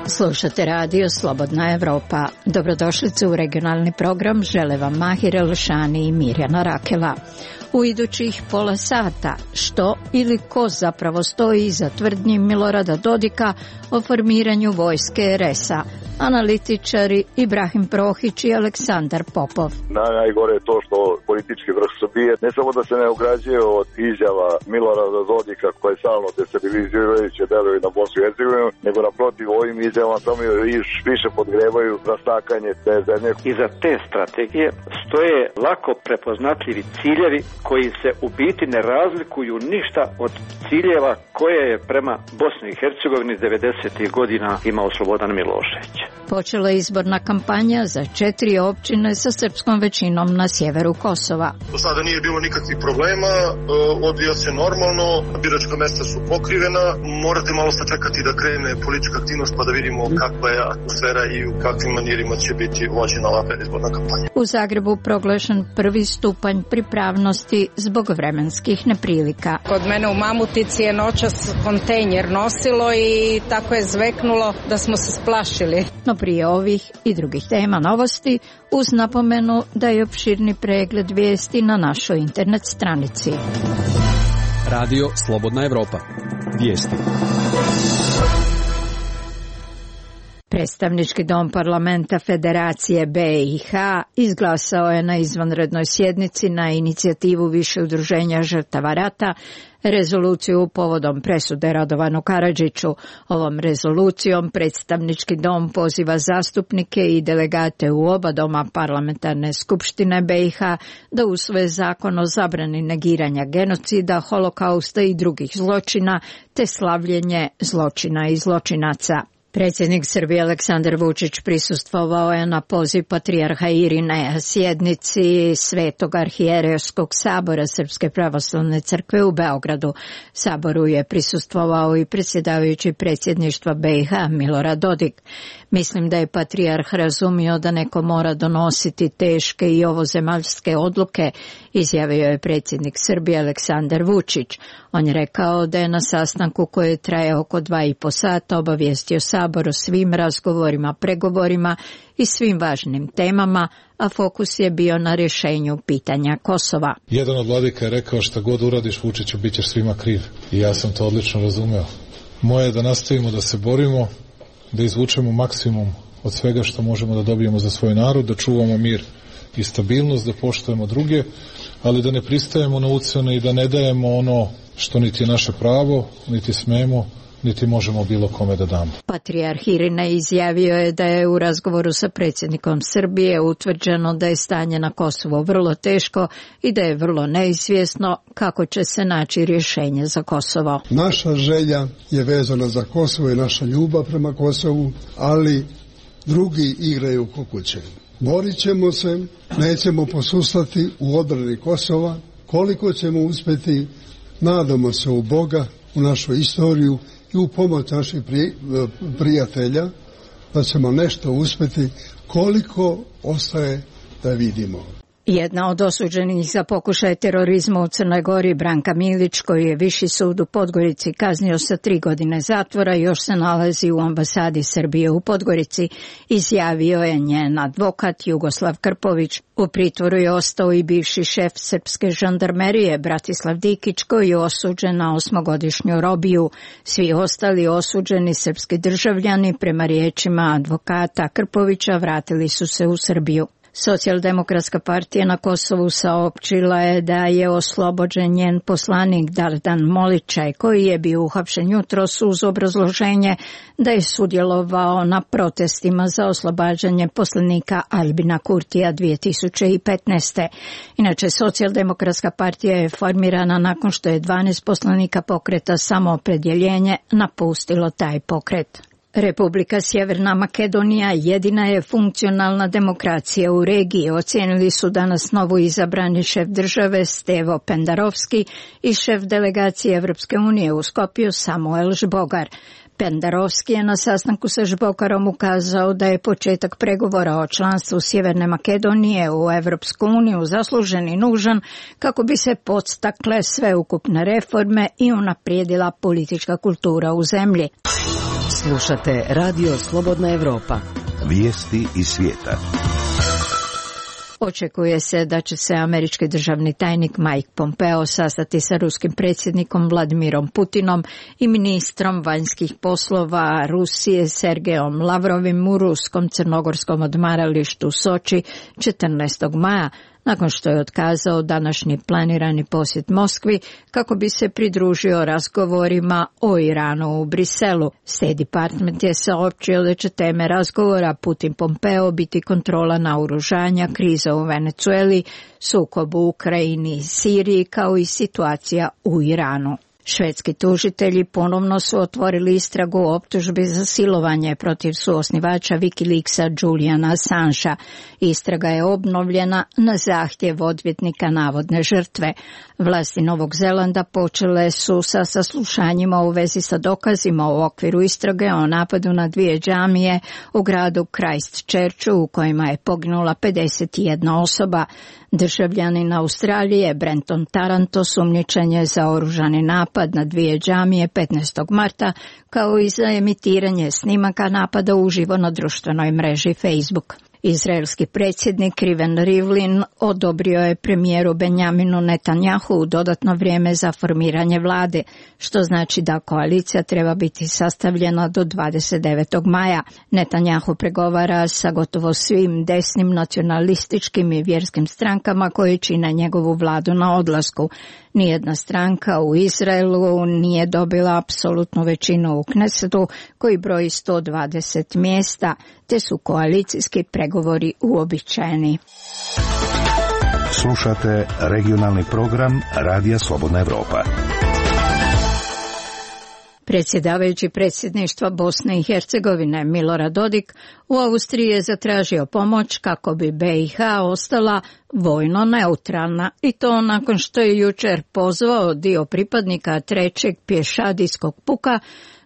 Slušate radio Slobodna Evropa. Dobrodošlice u regionalni program. Žele vam Mahir Elšani i Mirjana Rakela. U idućih pola sata što ili ko zapravo stoji iza tvrdnji Milorada Dodika o formiranju vojske RS-a. Analitičari Ibrahim Prohić i Aleksandar Popov. Najgore je to što politički vrh Srbije ne samo da se ne ograđuje od izjava Milorada Dodika koje stalno destabilizirajuće deluju na Bosnu i Hercegovinu, nego naprotiv ovim izjavama samo više podgrevaju rastakanje te zemlje. Iza te strategije stoje lako prepoznatljivi ciljevi koji se u biti ne razlikuju ništa od ciljeva koje je prema Bosni i Hercegovini 90. godina imao Slobodan Milošević. Počela je izborna kampanja za 4 općine sa srpskom većinom na sjeveru Kosova. Do sada nije bilo nikakvih problema, odvija se normalno, biračka mesta su pokrivena, morate malo sačekati da krene politička aktivnost pa da vidimo kakva je atmosfera i u kakvim manirima će biti vođena ova predizborna kampanja. U Zagrebu proglašen prvi stupanj pripravnosti zbog vremenskih neprilika. Kod mene u Mamutici je noćas kontejner nosilo i tako je zveknulo da smo se splašili. No prije ovih i drugih tema novosti, uz napomenu da je opširni pregled vijesti na našoj internet stranici. Radio Slobodna Evropa. Vijesti. Predstavnički dom parlamenta Federacije BiH izglasao je na izvanrednoj sjednici na inicijativu više udruženja žrtava rata rezoluciju povodom presude Radovanu Karadžiću. Ovom rezolucijom predstavnički dom poziva zastupnike i delegate u oba doma parlamentarne skupštine BiH da usvoje zakon o zabrani negiranja genocida, holokausta i drugih zločina te slavljenje zločina i zločinaca. Predsjednik Srbije Aleksandar Vučić prisustvovao je na poziv patrijarha Irineja sjednici Svetog arhijerejskog sabora Srpske pravoslavne crkve u Beogradu. Saboru je prisustvovao i predsjedavajući predsjedništva BiH Milorad Dodik. Mislim da je patrijarh razumio da neko mora donositi teške i ovozemaljske odluke, izjavio je predsjednik Srbije Aleksandar Vučić. On je rekao da je na sastanku koji traje oko 2,5 sata obavijestio Sabor o svim razgovorima, pregovorima i svim važnim temama, a fokus je bio na rješenju pitanja Kosova. Jedan od vladika je rekao šta god uradiš Vučiću bit ćeš svima kriv i ja sam to odlično razumeo. Moje je da nastavimo da se borimo, da izvučemo maksimum od svega što možemo da dobijemo za svoj narod, da čuvamo mir i stabilnost, da poštujemo druge, ali da ne pristajemo na ucjene i da ne dajemo ono što niti je naše pravo, niti smemo, niti možemo bilo kome da damo. Patrijarh Irinej izjavio je da je u razgovoru sa predsjednikom Srbije utvrđeno da je stanje na Kosovu vrlo teško i da je vrlo neizvjesno kako će se naći rješenje za Kosovo. Naša želja je vezana za Kosovo i naša ljubav prema Kosovu, ali drugi igraju ko kuće. Borit ćemo se, nećemo posustati u odbrani Kosova. Koliko ćemo uspjeti, nadamo se u Boga, u našu istoriju i u pomoć naših prijatelja, da ćemo nešto uspjeti, koliko ostaje da vidimo. Jedna od osuđenih za pokušaj terorizma u Crnoj Gori, Branka Milić, koju je Viši sud u Podgorici kaznio sa 3 godine zatvora, još se nalazi u ambasadi Srbije u Podgorici, izjavio je njen advokat Jugoslav Krpović. U pritvoru je ostao i bivši šef srpske žandarmerije Bratislav Dikić, koji je osuđen na 8-godišnju robiju. Svi ostali osuđeni srpski državljani, prema riječima advokata Krpovića, vratili su se u Srbiju. Socijaldemokratska partija na Kosovu saopćila je da je oslobođen njen poslanik Dardan Moličaj, koji je bio uhapšen jutros uz obrazloženje da je sudjelovao na protestima za oslobađanje poslanika Albina Kurtija 2015. Inače, Socijaldemokratska partija je formirana nakon što je 12 poslanika pokreta Samoopredjeljenje napustilo taj pokret. Republika Sjeverna Makedonija jedina je funkcionalna demokracija u regiji, ocijenili su danas novo izabrani šef države Stevo Pendarovski i šef delegacije Evropske unije u Skopju Samuel Žbogar. Pendarovski je na sastanku sa Žbokarom ukazao da je početak pregovora o članstvu Sjeverne Makedonije u Evropsku uniju zaslužen i nužan kako bi se podstakle sveukupne reforme i unaprijedila politička kultura u zemlji. Slušate Radio Slobodna Evropa. Vijesti iz svijeta. Očekuje se da će se američki državni tajnik Mike Pompeo sastati sa ruskim predsjednikom Vladimirom Putinom i ministrom vanjskih poslova Rusije Sergejom Lavrovim u ruskom crnogorskom odmaralištu Soči 14. maja, nakon što je otkazao današnji planirani posjet Moskvi kako bi se pridružio razgovorima o Iranu u Briselu. State Department je saopćio da će teme razgovora Putin-Pompeo biti kontrola naoružanja, kriza u Venezueli, sukob u Ukrajini i Siriji kao i situacija u Iranu. Švedski tužitelji ponovno su otvorili istragu o optužbi za silovanje protiv suosnivača Wikileaksa Juliana Assangea. Istraga je obnovljena na zahtjev odvjetnika navodne žrtve. Vlasti Novog Zelanda počele su sa saslušanjima u vezi sa dokazima u okviru istrage o napadu na 2 džamije u gradu Christchurchu u kojima je poginula 51 osoba. Državljanin Australije Brenton Tarrant osumnjičen je za oružani napad na 2 džamije 15. marta, kao i za emitiranje snimaka napada uživo na društvenoj mreži Facebook. Izraelski predsjednik Reuven Rivlin odobrio je premijeru Benjaminu Netanjahu dodatno vrijeme za formiranje vlade, što znači da koalicija treba biti sastavljena do 29. maja. Netanjahu pregovara sa gotovo svim desnim nacionalističkim i vjerskim strankama koji čine njegovu vladu na odlasku. Nijedna stranka u Izraelu nije dobila apsolutnu većinu u Knesetu koji broji 120 mjesta, te su koalicijski pregovori uobičajeni. Slušate regionalni program Radija Slobodna Evropa. Predsjedavajući predsjedništva Bosne i Hercegovine Milorad Dodik u Austriji je zatražio pomoć kako bi BiH ostala vojno neutralna, i to nakon što je jučer pozvao dio pripadnika 3. pješadijskog puka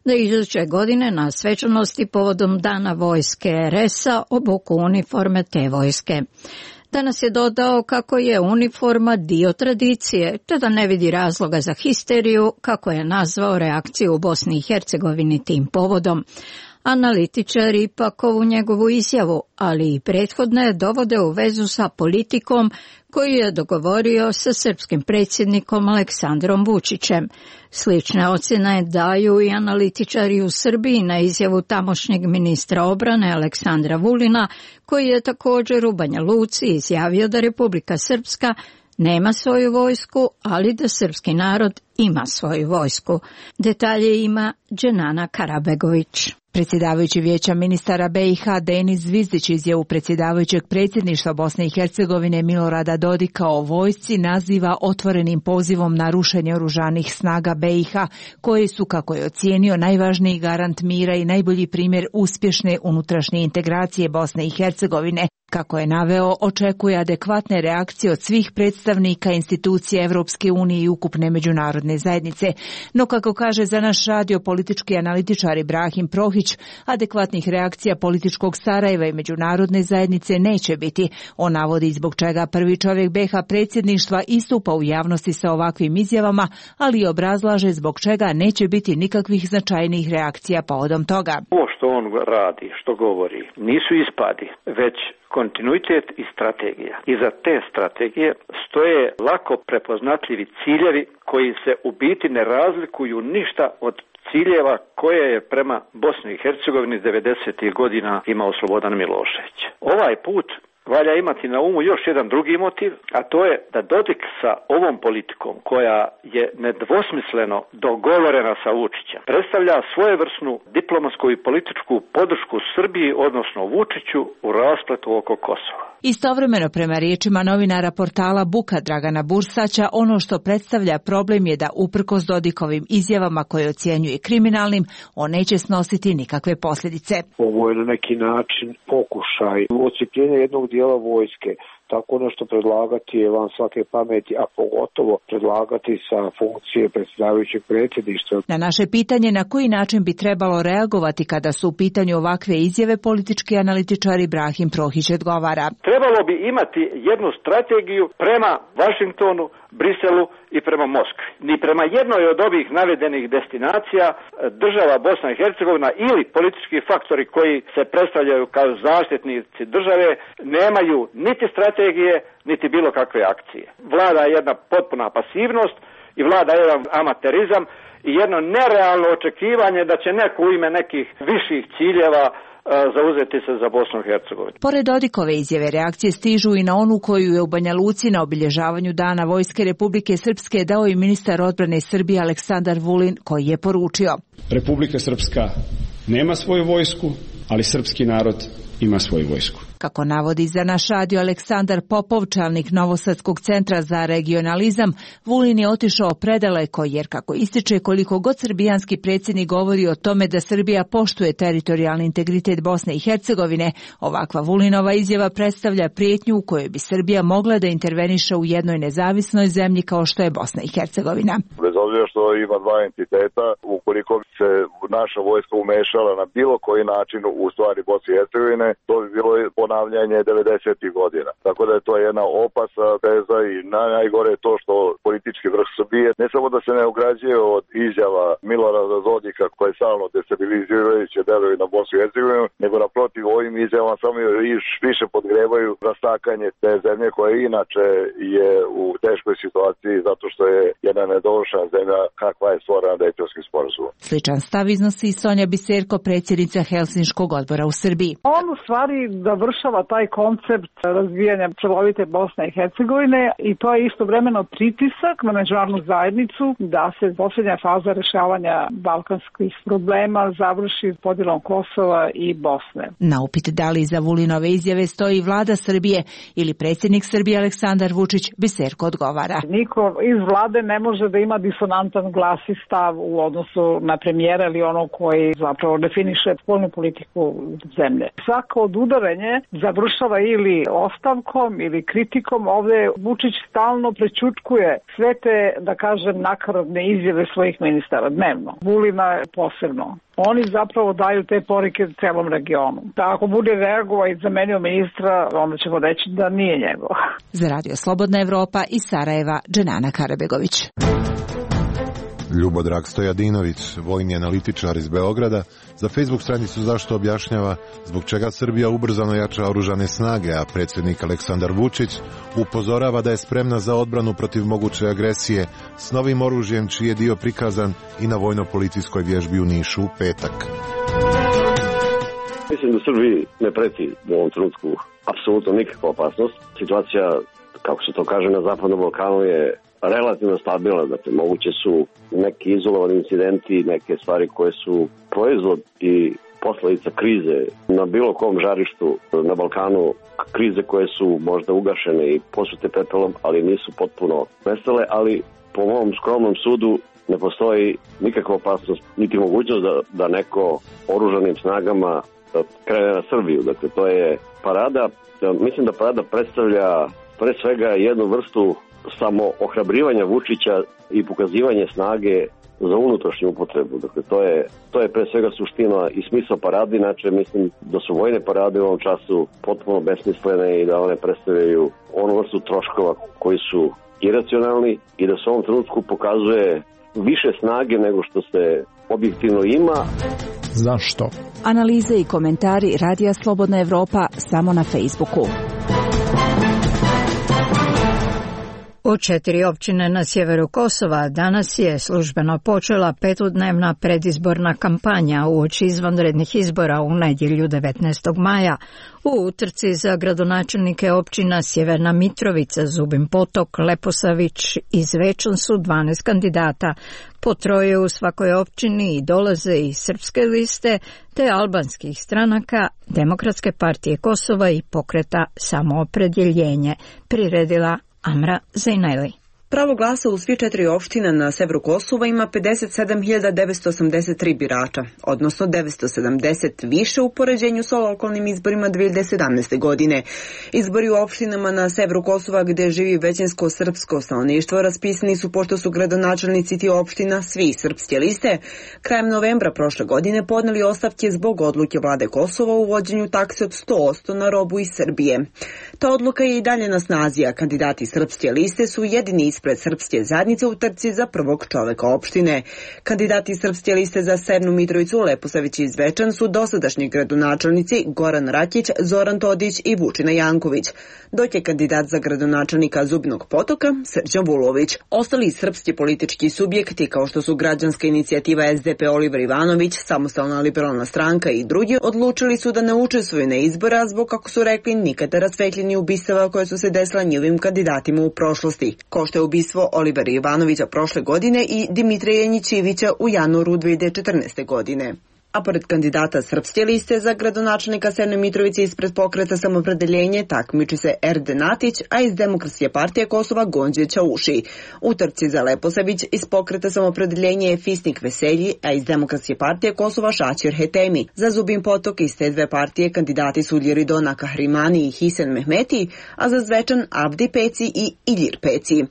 da iduće godine na svečanosti povodom Dana vojske RS-a obuku uniforme te vojske. Danas je dodao kako je uniforma dio tradicije, te da ne vidi razloga za histeriju, kako je nazvao reakciju u Bosni i Hercegovini tim povodom. Analitičari ipak ovu njegovu izjavu, ali i prethodne, dovode u vezu sa politikom koju je dogovorio sa srpskim predsjednikom Aleksandrom Vučićem. Slične ocjene daju i analitičari u Srbiji na izjavu tamošnjeg ministra obrane Aleksandra Vulina, koji je također u Banja Luci izjavio da Republika Srpska nema svoju vojsku, ali da srpski narod ima svoju vojsku. Detalje ima Dženana Karabegović. Predsjedavajući Vijeća ministara BiH Denis Zvizdić izjavu predsjedavajućeg predsjedništva Bosne i Hercegovine Milorada Dodika o vojsci naziva otvorenim pozivom na rušenje oružanih snaga BiH, koji su, kako je ocijenio, najvažniji garant mira i najbolji primjer uspješne unutrašnje integracije Bosne i Hercegovine. Kako je naveo, očekuje adekvatne reakcije od svih predstavnika institucija Evropske unije i ukupne međunarodne zajednice. No, kako kaže za naš radio politički analitičar Ibrahim Prohić, adekvatnih reakcija političkog Sarajeva i međunarodne zajednice neće biti. On navodi zbog čega prvi čovjek BiH predsjedništva istupa u javnosti sa ovakvim izjavama, ali obrazlaže zbog čega neće biti nikakvih značajnijih reakcija povodom toga. Ovo što on radi, što govori, nisu ispadi, već kontinuitet i strategija. Iza te strategije stoje lako prepoznatljivi ciljevi koji se u biti ne razlikuju ništa od ciljeva koje je prema Bosni i Hercegovini 90. godina imao Slobodan Milošević. Ovaj put valja imati na umu još jedan drugi motiv, a to je da Dodik sa ovom politikom, koja je nedvosmisleno dogovorena sa Vučićem, predstavlja svojevrsnu diplomatsku i političku podršku Srbiji, odnosno Vučiću, u raspletu oko Kosova. Istovremeno, prema riječima novinara portala Buka Dragana Bursaća, ono što predstavlja problem je da uprkos Dodikovim izjavama koje ocjenjuje kriminalnim, on neće snositi nikakve posljedice. Ovo je na neki način pokušaj odsjepljenja jednog dijela vojske. tako nešto predlagati je van svake pameti, a pogotovo predlagati sa funkcije predsjedavajućeg predsjedništva. Na naše pitanje na koji način bi trebalo reagovati kada su u pitanju ovakve izjave, politički analitičar Ibrahim Prohić odgovara. Trebalo bi imati jednu strategiju prema Vašingtonu, Briselu i prema Moskvi. Ni prema jednoj od ovih navedenih destinacija država Bosna i Hercegovina ili politički faktori koji se predstavljaju kao zaštitnici države nemaju niti strategije, niti bilo kakve akcije. Vlada jedna potpuna pasivnost i vlada jedan amaterizam i jedno nerealno očekivanje da će neko u ime nekih viših ciljeva zauzeti se za Bosnu i Hercegovinu. Pored Dodikove izjave, reakcije stižu i na onu koju je u Banja Luci na obilježavanju Dana Vojske Republike Srpske dao i ministar odbrane Srbije Aleksandar Vulin, koji je poručio: Republika Srpska nema svoju vojsku, ali srpski narod ima svoju vojsku. Kako navodi za naš radio Aleksandar Popov, čelnik Novosadskog centra za regionalizam, Vulin je otišao predaleko jer, kako ističe, koliko god srbijanski predsjednik govori o tome da Srbija poštuje teritorijalni integritet Bosne i Hercegovine, ovakva Vulinova izjava predstavlja prijetnju u kojoj bi Srbija mogla da interveniše u jednoj nezavisnoj zemlji kao što je Bosna i Hercegovina. Bez obzira što ima dva entiteta, ukoliko se naša vojska umešala na bilo koji način u stvari Bosne i Hercegovine, to bi bilo ponavljanje 90. godina. Tako da je to jedna opasna teza i najgore je to što politički vrh Srbije ne samo da se ne ograđuje od izjava Milorada Dodika koje stalno destabilizirajuće deluju na Bosnu i Hercegovinu, nego naprotiv ovim izjavama samo više podgrevaju rastakanje te zemlje koja inače je u teškoj situaciji zato što je jedna nedovršena zemlja kakva je stvorena Dejtonskim sporazumom. Sličan stav iznosi i Sonja Biserko, predsjednica Helsinškog odbora u Srbiji. On u stvari završava taj koncept razvijanja celovite Bosne i Hercegovine i to je istovremeno pritisak na međunarodnu zajednicu da se posljednja faza rešavanja balkanskih problema završi podjelom Kosova i Bosne. Na upit da li za Vulinove izjave stoji vlada Srbije ili predsjednik Srbije Aleksandar Vučić, Biserko odgovara: Niko iz vlade ne može da ima disonantan glas i stav u odnosu na premijera ili ono koji zapravo definiše spoljnu politiku zemlje. Svako odudaranje završava ili ostavkom ili kritikom. Ovdje Vučić stalno prećutkuje sve te, da kažem, nakaradne izjave svojih ministara dnevno. Vulina posebno. Oni zapravo daju te poruke celom regionu. Da ako bude reagovao i zamenio ministra, onda ćemo reći da nije njegov. Za Radio Slobodna Evropa iz Sarajeva, Dženana Karabegović. Ljubodrag Stojadinović, vojni analitičar iz Beograda, za Facebook stranicu Zašto objašnjava zbog čega Srbija ubrzano jača oružane snage, a predsjednik Aleksandar Vučić upozorava da je spremna za odbranu protiv moguće agresije s novim oružjem čiji je dio prikazan i na vojno-policijskoj vježbi u Nišu u petak. Mislim da Srbiji ne preti u ovom trenutku apsolutno nikakva opasnost. Situacija, kako se to kaže na Zapadnom Balkanu, je relativno stabilna, dakle moguće su neki izolovani incidenti, neke stvari koje su proizvod i posledica krize na bilo kom žarištu na Balkanu, krize koje su možda ugašene i posute pepelom, ali nisu potpuno nestale, ali po mom skromnom sudu ne postoji nikakva opasnost, niti mogućnost da neko oružanim snagama krene na Srbiju. Dakle, to je parada. Mislim da parada predstavlja pre svega jednu vrstu samo ohrabrivanja Vučića i pokazivanje snage za unutrašnju upotrebu. Dakle, to je pre svega suština i smisao parade, inače mislim da su vojne parade u ovom času potpuno besmislene i da one predstavljaju onu vrstu troškova koji su iracionalni i da se u ovom trenutku pokazuje više snage nego što se objektivno ima. Zašto? Analize i komentari Radija Slobodna Evropa samo na Facebooku. U 4 općine na sjeveru Kosova danas je službeno počela 5-dnevna predizborna kampanja uoči izvanrednih izbora u nedjelju 19. maja. U utrci za gradonačelnike općina Sjeverna Mitrovica, Zubin Potok, Leposavić i Zvečan su 12 kandidata. Po 3 u svakoj općini i dolaze iz srpske liste te albanskih stranaka, Demokratske partije Kosova i pokreta Samoopredjeljenje, priredila Amra Zejnajli. Pravo glasa u svi 4 opština na severu Kosova ima 57.983 birača, odnosno 970 više u poređenju sa lokalnim izborima 2017. godine. Izbori u opštinama na severu Kosova gde živi većinsko srpsko stanovništvo raspisani su pošto su gradonačelnici tih opština, svi srpske liste, krajem novembra prošle godine podneli ostavke zbog odluke vlade Kosova u uvođenju takse od 100% na robu iz Srbije. Ta odluka je i dalje na snazi, a kandidati srpske liste su jedini ispred srpske zajednice u trci za prvog čoveka opštine. Kandidati srpske liste za Severnu Mitrovicu, Leposavić i Zvečan su dosadašnji gradonačelnici Goran Rakić, Zoran Todić i Vučina Janković, dok je kandidat za gradonačelnika Zubinog Potoka Srđan Vulović. Ostali srpski politički subjekti kao što su Građanska inicijativa SDP Oliver Ivanović, Samostalna liberalna stranka i drugi odlučili su da ne učestvuju na izbora zbog, kako su rekli, nikada rasvetljeni ubistava koje su se desila njihovim kandidatima u prošlosti, kao što je ubistvo Olivera Ivanovića prošle godine i Dimitrija Janjićevića u januaru 2014. godine. A pored kandidata srpske liste za gradonačelnika Severne Mitrovice ispred Pokreta Samopredeljenje takmiči se Erde Natić, a iz Demokratske partije Kosova Gonđe Ćauši. U trci za Leposavić iz Pokreta Samopredeljenje je Fisnik Veselji, a iz Demokratske partije Kosova Šaćer Hetemi. Za Zubin Potok iz te dve partije kandidati su Ljeridona Kahrimani i Hisen Mehmeti, a za Zvečan Abdi Peci i Iljir Peci.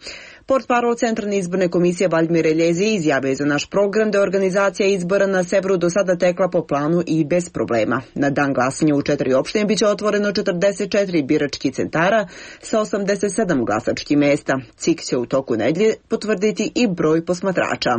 Portparol Centralne izborne komisije Valdimir Eljezi izjavio za naš program da je organizacija izbora na severu do sada tekla po planu i bez problema. Na dan glasanja u 4 opštine biće otvoreno 44 biračkih centara sa 87 glasačkih mesta. CIK će u toku nedelje potvrditi i broj posmatrača.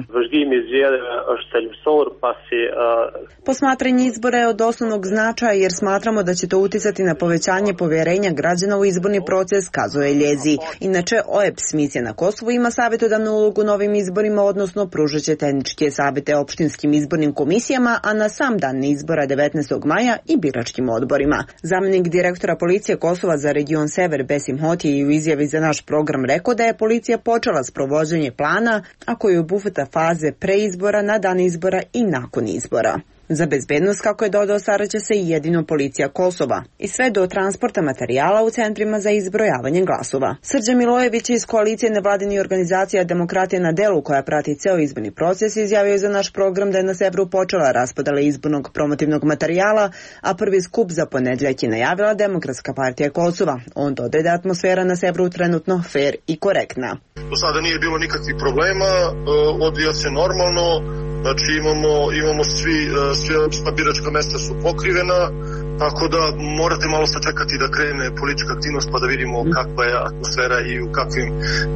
Posmatranje izbora je od osnovnog značaja jer smatramo da će to uticati na povećanje poverenja građana u izborni proces, kazuje Eljezi. Inače, OEBS misija na Kosovo ima savjetodavnu ulogu novim izborima, odnosno pružaće tehničke savjete opštinskim izbornim komisijama, a na sam dan izbora 19. maja i biračkim odborima. Zamjenik direktora policije Kosova za region Sever Besim Hoti je u izjavi za naš program rekao da je policija počela s provođenje plana, a koji obuhvata faze pre izbora, na dan izbora i nakon izbora. Za bezbednost, kako je dodao, staraće se i jedino policija Kosova i sve do transporta materijala u centrima za izbrojavanje glasova. Srđan Milojević iz koalicije nevladinih organizacija Demokratija na delu, koja prati ceo izborni proces, izjavio je za naš program da je na severu počela raspodala izbornog promotivnog materijala, a prvi skup za ponedjeljak je najavila Demokratska partija Kosova. On dodaje da je atmosfera na severu trenutno fer i korektna. Do sada nije bilo nikakvih problema, odvija se normalno. Znači imamo sva biračka mesta su pokrivena, tako da morate malo sačekati da krene politička aktivnost pa da vidimo kakva je atmosfera i u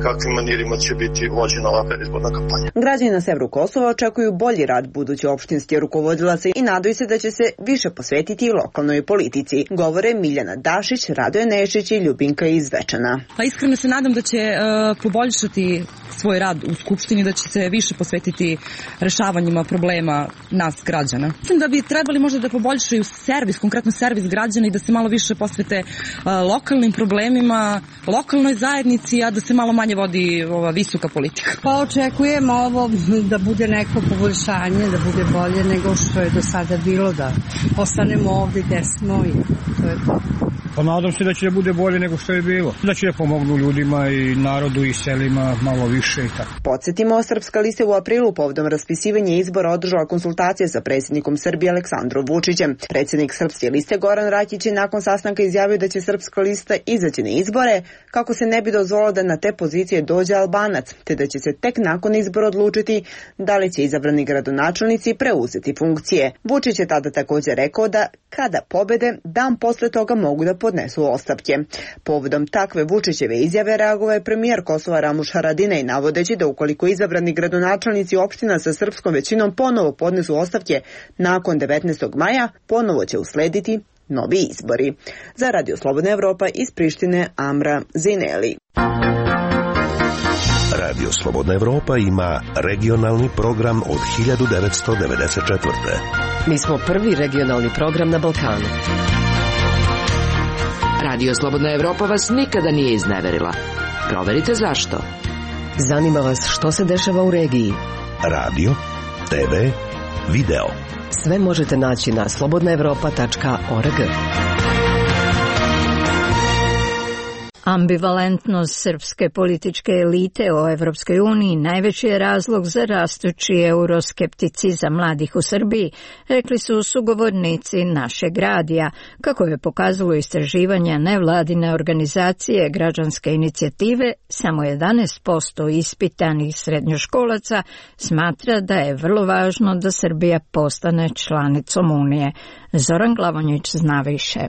kakvim manirima će biti vođena ova predizborna kampanja. Građani na severu Kosova očekuju bolji rad buduće opštinske rukovodilaca i nadaju se da će se više posvetiti lokalnoj politici. Govore Miljana Dašić, Radoje Nešić i Ljubinka iz Zvečana. Pa iskreno se nadam da će poboljšati svoj rad u Skupštini, da će se više posvetiti rešavanjima problema nas građana. Mislim da bi trebali možda da poboljšaju servis, konkretno servis građana i da se malo više posvete lokalnim problemima, lokalnoj zajednici, a da se malo manje vodi ova visoka politika. Pa očekujemo ovo da bude neko poboljšanje, da bude bolje nego što je do sada bilo, da ostanemo ovdje gde smo i to je to. Pa nadam se da će da bude bolje nego što je bilo. Da će da pomognu ljudima i narodu i selima malo više i tako. Podsjetimo, Srpska lista u aprilu povodom raspisivanja izbora održala konsultacije sa predsjednikom Srbije Aleksandrom Vučićem. Predsjednik Srpske liste Goran Rakić je nakon sastanka izjavio da će Srpska lista izaći na izbore kako se ne bi dozvolilo da na te pozicije dođe Albanac, te da će se tek nakon izbora odlučiti da li će izabrani gradonačelnici preuzeti funkcije. Vučić je tada također rekao da kada pobede, dan posle toga mogu da podnesu ostavke. Povodom takve Vučićeve izjave reagovao je premijer Kosova Ramuš Haradinaj, navodeći da ukoliko izabrani gradonačelnici opština sa srpskom većinom ponovo podnesu ostavke nakon 19. maja, ponovo će uslediti novi izbori. Za Radio Slobodna Evropa iz Prištine, Amra Zineli. Radio Slobodna Evropa ima regionalni program od 1994. Mi smo prvi regionalni program na Balkanu. Radio Slobodna Evropa vas nikada nije izneverila. Proverite zašto. Zanima vas što se dešava u regiji. Radio, TV, video. Sve možete naći na slobodnaevropa.org. Ambivalentnost srpske političke elite o Evropskoj uniji najveći je razlog za rastući euroskepticizam mladih u Srbiji, rekli su sugovornici našeg radija, kako je pokazalo istraživanje nevladine organizacije građanske inicijative. Samo 11% ispitanih srednjoškolaca smatra da je vrlo važno da Srbija postane članicom Unije. Zoran Glavonjić zna više.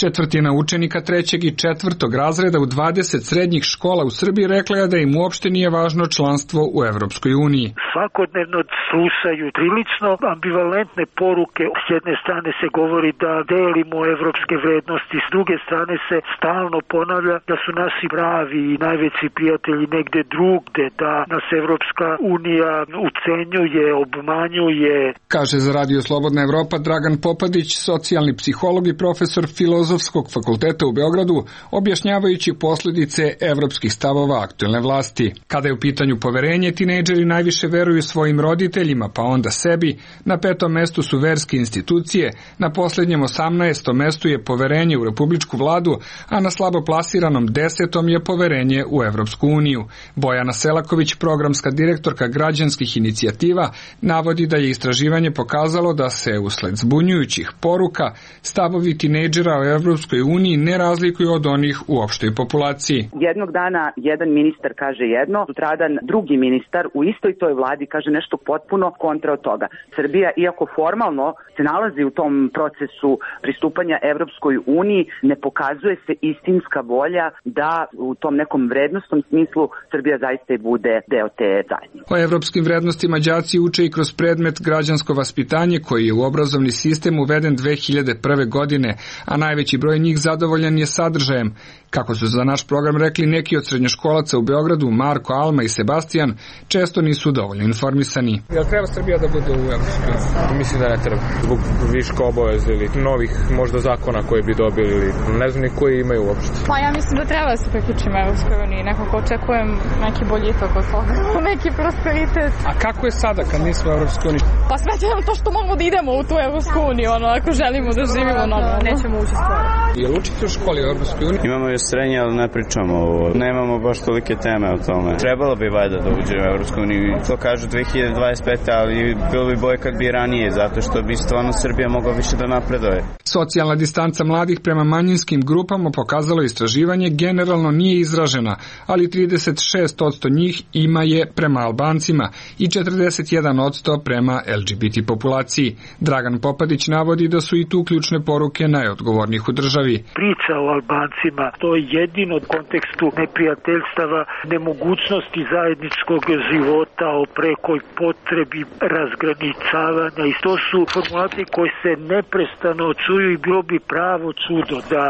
Četvrtina učenika 3. i 4. razreda u 20 srednjih škola u Srbiji rekla je da im uopšte nije važno članstvo u Evropskoj uniji. Svakodnevno slušaju prilično ambivalentne poruke. S jedne strane se govori da delimo evropske vrednosti, s druge strane se stalno ponavlja da su naši pravi i najveći prijatelji negde drugde, da nas Evropska unija ucenjuje, obmanjuje. Kaže za Radio Slobodna Evropa Dragan Popadić, socijalni psiholog i profesor Filozofskog fakulteta u Beogradu, objašnjavajući posljedice evropskih stavova aktuelne vlasti. Kada je u pitanju poverenje, tinejdžeri najviše veruju svojim roditeljima, pa onda sebi. Na 5. mestu su verske institucije, na posljednjem 18. mestu je poverenje u republičku vladu, a na slabo plasiranom 10. je poverenje u Evropsku uniju. Bojana Selaković, programska direktorka građanskih inicijativa, navodi da je istraživanje pokazalo da se usled zbunjujućih poruka stavovi tinejdžera o Evropskoj uniji ne razlikuju od onih u opštoj populaciji. Jednog dana jedan ministar kaže jedno, sutradan drugi ministar u istoj toj vladi kaže nešto potpuno kontra od toga. Srbija, iako formalno se nalazi u tom procesu pristupanja Evropskoj uniji, ne pokazuje se istinska volja da u tom nekom vrednostnom smislu Srbija zaista i bude deo te zajednice. O evropskim vrednostima đaci uče i kroz predmet građansko vaspitanje koji je u obrazovni sistem uveden 2001. godine, a najveći broj njih zadovoljan je sadržajem. Kako su za naš program rekli neki od srednjoškolaca u Beogradu, Marko, Alma i Sebastijan, često nisu dovoljno informisani. Jel treba Srbija da bude u Evropskoj? Mislim da ne treba. Zbog viška obaveza ili novih možda zakona koje bi dobili ili ne znam ni koji imaju uopšte. Pa ja mislim da treba da se priključimo Evropskoj uniji. Nekako očekujem neki boljitak od toga. Neki prosperitet. A kako je sada kad nismo u Evropskoj uniji? Pa sve to što možemo da idemo u tu Evropsku uniju, ako želimo da živimo normalno. Nećemo ući skoro. Jel učite u školi u Evropskoj uniji? Imamo je srednje, ali ne pričamo ovo. Nemamo baš tolike teme o tome. Trebalo bi valjda da uđe u Evropsku uniju. To kažu 2025. ali bilo bi bolje kad bi ranije, zato što bi stvarno Srbija mogla više da napreduje. Socijalna distanca mladih prema manjinskim grupama pokazalo istraživanje generalno nije izražena, ali 36% njih ima je prema Albancima i 41% prema LGBT populaciji. Dragan Popadić navodi da su i tu ključne poruke najodgovornijih u državi. Priča o Albancima, to je jedino u kontekstu neprijateljstava, nemogućnosti zajedničkog života, o prekoj potrebi razgraničavanja, i to su formulacije koje se neprestano čuju i bilo bi pravo čudo da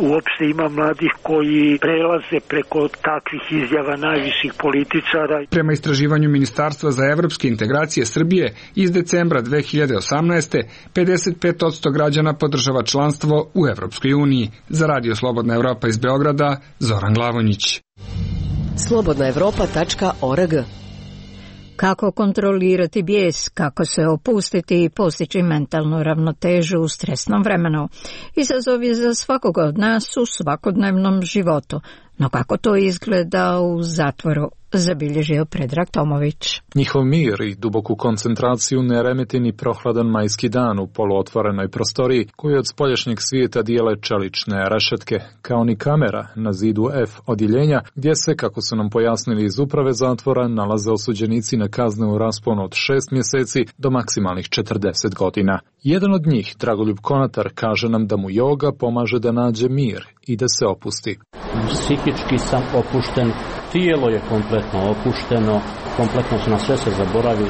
uopšte ima mladih koji prelaze preko takvih izjava najviših političara. Prema istraživanju Ministarstva za evropske integracije Srbije iz decembra 2018. 55% građana podržava članstvo u Evropskoj uniji. Za Radio Slobodna Evropa iz Beograda, Zoran Glavonjić. slobodnaevropa.org. Kako kontrolirati bijes, kako se opustiti i postići mentalnu ravnotežu u stresnom vremenu. Izazov je za svakoga od nas u svakodnevnom životu. No kako to izgleda u zatvoru, zabilježio Predrag Tomović. Njihov mir i duboku koncentraciju ne remeti ni prohladan majski dan u poluotvorenoj prostoriji koju od spoljašnjeg svijeta dijele čelične rešetke, kao ni kamera na zidu F odjeljenja gdje se, kako su nam pojasnili iz uprave zatvora, nalaze osuđenici na kazne u rasponu od 6 mjeseci do maksimalnih 40 godina. Jedan od njih, Dragoljub Konatar, kaže nam da mu joga pomaže da nađe mir i da se opusti. Psihički sam opušten, tijelo je kompletno opušteno, kompletno na sve se zaboravi,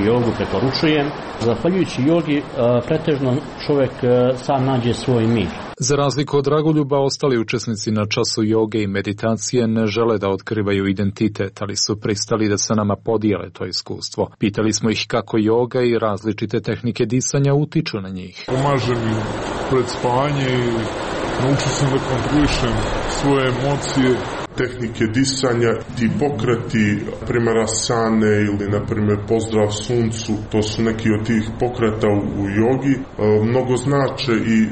jogu preporučujem. Zahvaljujući jogi pretežno čovjek sam nađe svoj mir. Za razliku od Dragoljuba, ostali učesnici na času joge i meditacije ne žele da otkrivaju identitet, ali su pristali da se nama podijele to iskustvo. Pitali smo ih kako joga i različite tehnike disanja utiču na njih. Pomaže mi pred spanje i naučio sam da kontrolišem svoje emocije, tehnike disanja, ti pokreti, primjer asane ili na primjer pozdrav suncu, to su neki od tih pokreta u jogi, mnogo znače i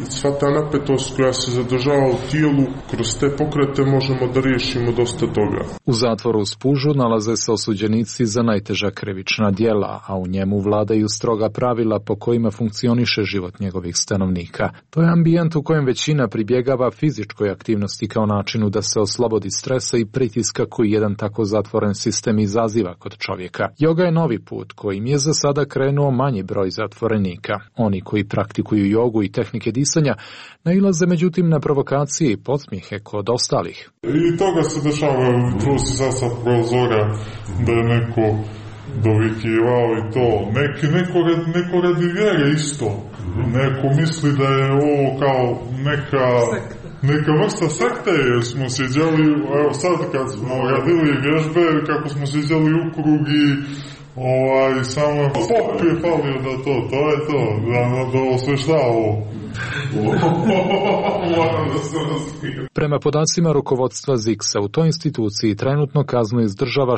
sva ta napetost koja se zadržava u tijelu, kroz te pokrete možemo da riješimo dosta toga. U zatvoru u Spužu nalaze se osuđenici za najteža krivična djela, a u njemu vladaju stroga pravila po kojima funkcioniše život njegovih stanovnika. To je ambijent u kojem većina pribjegava fizičkoj aktivnosti kao načinu da se oslobodi stresa i pritiska koji jedan tako zatvoren sistem izaziva kod čovjeka. Joga je novi put kojim je za sada krenuo manji broj zatvorenika. Oni koji praktikuju jogu i tehnike disanja nailaze međutim na provokacije i podsmijehe kod ostalih. I toga se dešava, tu si sad sa prozora da je neko dovikivao i to. Neko radi vjere isto. Neko misli da je ovo kao neka vrsta sekte, jer smo sjeđali, evo sad kad smo radili vježbe, kako smo sjeđali u krug i samo pop je falio da to je to, da osvešta ovo. Prema podacima rukovodstva ZIKS-a u toj instituciji trenutno kaznu izdržava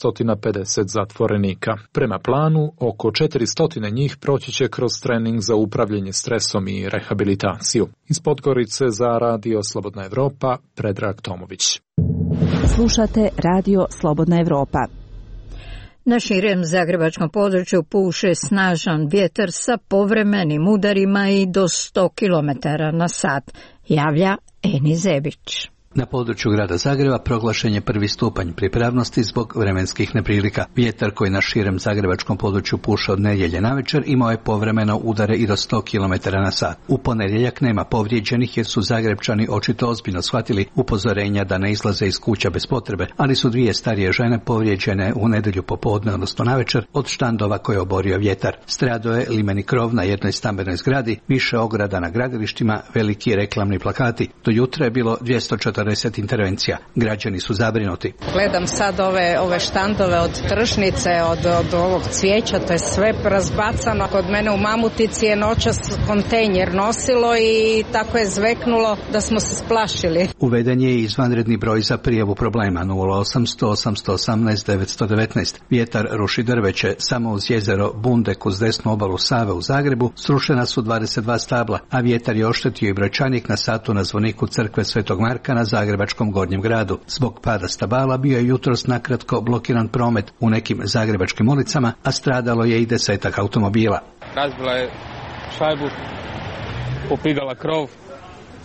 650 zatvorenika. Prema planu, oko 400 njih proći će kroz trening za upravljanje stresom i rehabilitaciju. Iz Podgorice za Radio Slobodna Evropa, Predrag Tomović. Slušate Radio Slobodna Evropa. Na širem zagrebačkom području puše snažan vjetar sa povremenim udarima i do 100 km/h, javlja Eni Zebić. Na području grada Zagreba proglašen je 1. stupanj pripravnosti zbog vremenskih neprilika. Vjetar koji na širem zagrebačkom području puša od nedjelje navečer imao je povremeno udare i do 100 km/h. U ponedjeljak nema povrijeđenih jer su Zagrebčani očito ozbiljno shvatili upozorenja da ne izlaze iz kuća bez potrebe, ali su 2 starije žene povrijeđene u nedjelju popodne, odnosno navečer, od štandova koje je oborio vjetar. Stradao je limeni krov na jednoj stambenoj zgradi, više ograda na gradilištima, veliki reklamni plakati. Do jutra je bilo 240 intervencija. Građani su zabrinuti. Gledam sad ove štandove od tržnice, od ovog cvijeća, to je sve razbacano. Kod mene u Mamutici je noćas kontejner nosilo i tako je zveknulo da smo se splašili. Uveden je izvanredni broj za prijavu problema 0800 818 919. Vjetar ruši drveće. Samo uz jezero Bundek uz desnu obalu Save u Zagrebu srušena su 22 stabla, a vjetar je oštetio i brojčanik na satu na zvoniku crkve Svetog Marka na Zagrebačkom Gornjem gradu. Zbog pada stabala bio je jutros nakratko blokiran promet u nekim zagrebačkim ulicama, a stradalo je i 10 automobila. Razbila je šajbu, popigala krov,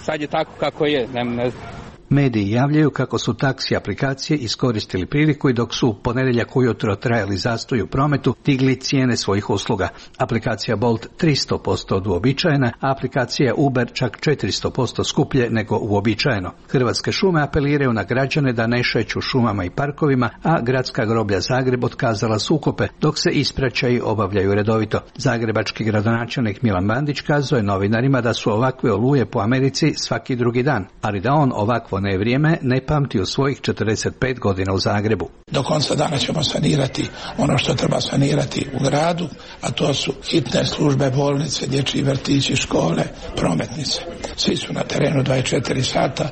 sad je tako kako je, ne znam. Mediji javljaju kako su taksi aplikacije iskoristili priliku i dok su u ponedjeljak ujutro trajali zastoj u prometu, digli cijene svojih usluga. Aplikacija Bolt 300% od uobičajena, a aplikacija Uber čak 400% skuplje nego uobičajeno. Hrvatske šume apeliraju na građane da ne šeću šumama i parkovima, a Gradska groblja Zagreb otkazala sukope, dok se ispraćaji obavljaju redovito. Zagrebački gradonačelnik Milan Bandić kazuje novinarima da su ovakve oluje po Americi svaki drugi dan, ali da on ovakvo nevrijeme ne pamti u svojih 45 godina u Zagrebu. Do konca dana ćemo sanirati ono što treba sanirati u gradu, a to su hitne službe, bolnice, dječji vrtići, škole, prometnice. Svi su na terenu 24 sata,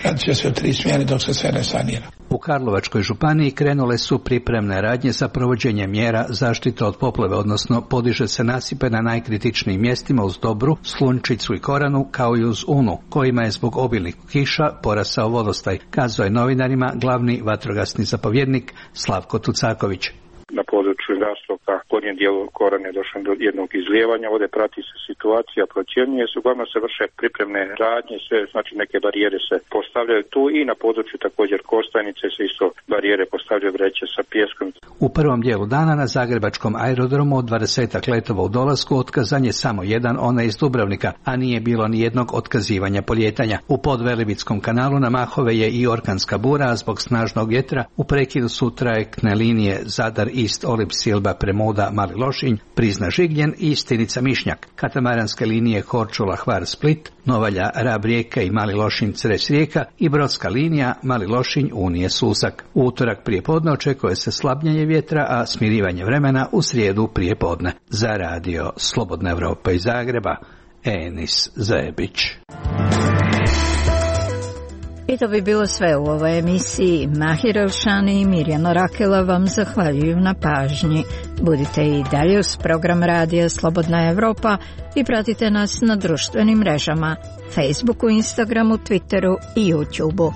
radit će se u 3 smjene dok se sve ne sanira. U Karlovačkoj županiji krenule su pripremne radnje za provođenje mjera zaštite od poplave, odnosno podiže se nasipe na najkritičnijim mjestima uz Dobru, Slunčicu i Koranu, kao i uz Unu, kojima je zbog obilnih kiša porasao vodostaj, kazao je novinarima glavni vatrogasni zapovjednik Slavko Tucaković. Na području Rastoka, gornjem dijelu Korane je došlo do jednog izlijevanja, ovdje prati se situacija, procjenjuje se, uglavnom se vrše pripremne radnje, sve, znači neke barijere se postavljaju tu i na području također Kostajnice se isto barijere postavljaju, vreće sa pijeskom. U prvom dijelu dana na zagrebačkom aerodromu od 20 letova u dolasku otkazan je samo jedan, onaj iz Dubrovnika, a nije bilo ni jednog otkazivanja polijetanja. U Podvelebitskom kanalu na Mahove je i orkanska bura, a zbog snažnog vjetra u prekidu su trajektne linije Zadar Ist Olib Silba Premuda Mali Lošinj, Prizna Žigljen i Stinica Mišnjak, katamaranske linije Korčula Hvar Split, Novalja Rab Rijeka i Mali Lošinj Cres Rijeka i brodska linija Mali Lošinj Unije Susak. U utorak prijepodne očekuje se slabljenje vjetra, a smirivanje vremena u srijedu prijepodne. Za Radio Slobodna Evropa iz Zagreba, Enis Zebić. I to bi bilo sve u ovoj emisiji. Mahir Elšani i Mirjana Rakela vam zahvaljuju na pažnji. Budite i dalje uz program radija Slobodna Evropa i pratite nas na društvenim mrežama Facebooku, Instagramu, Twitteru i YouTubeu.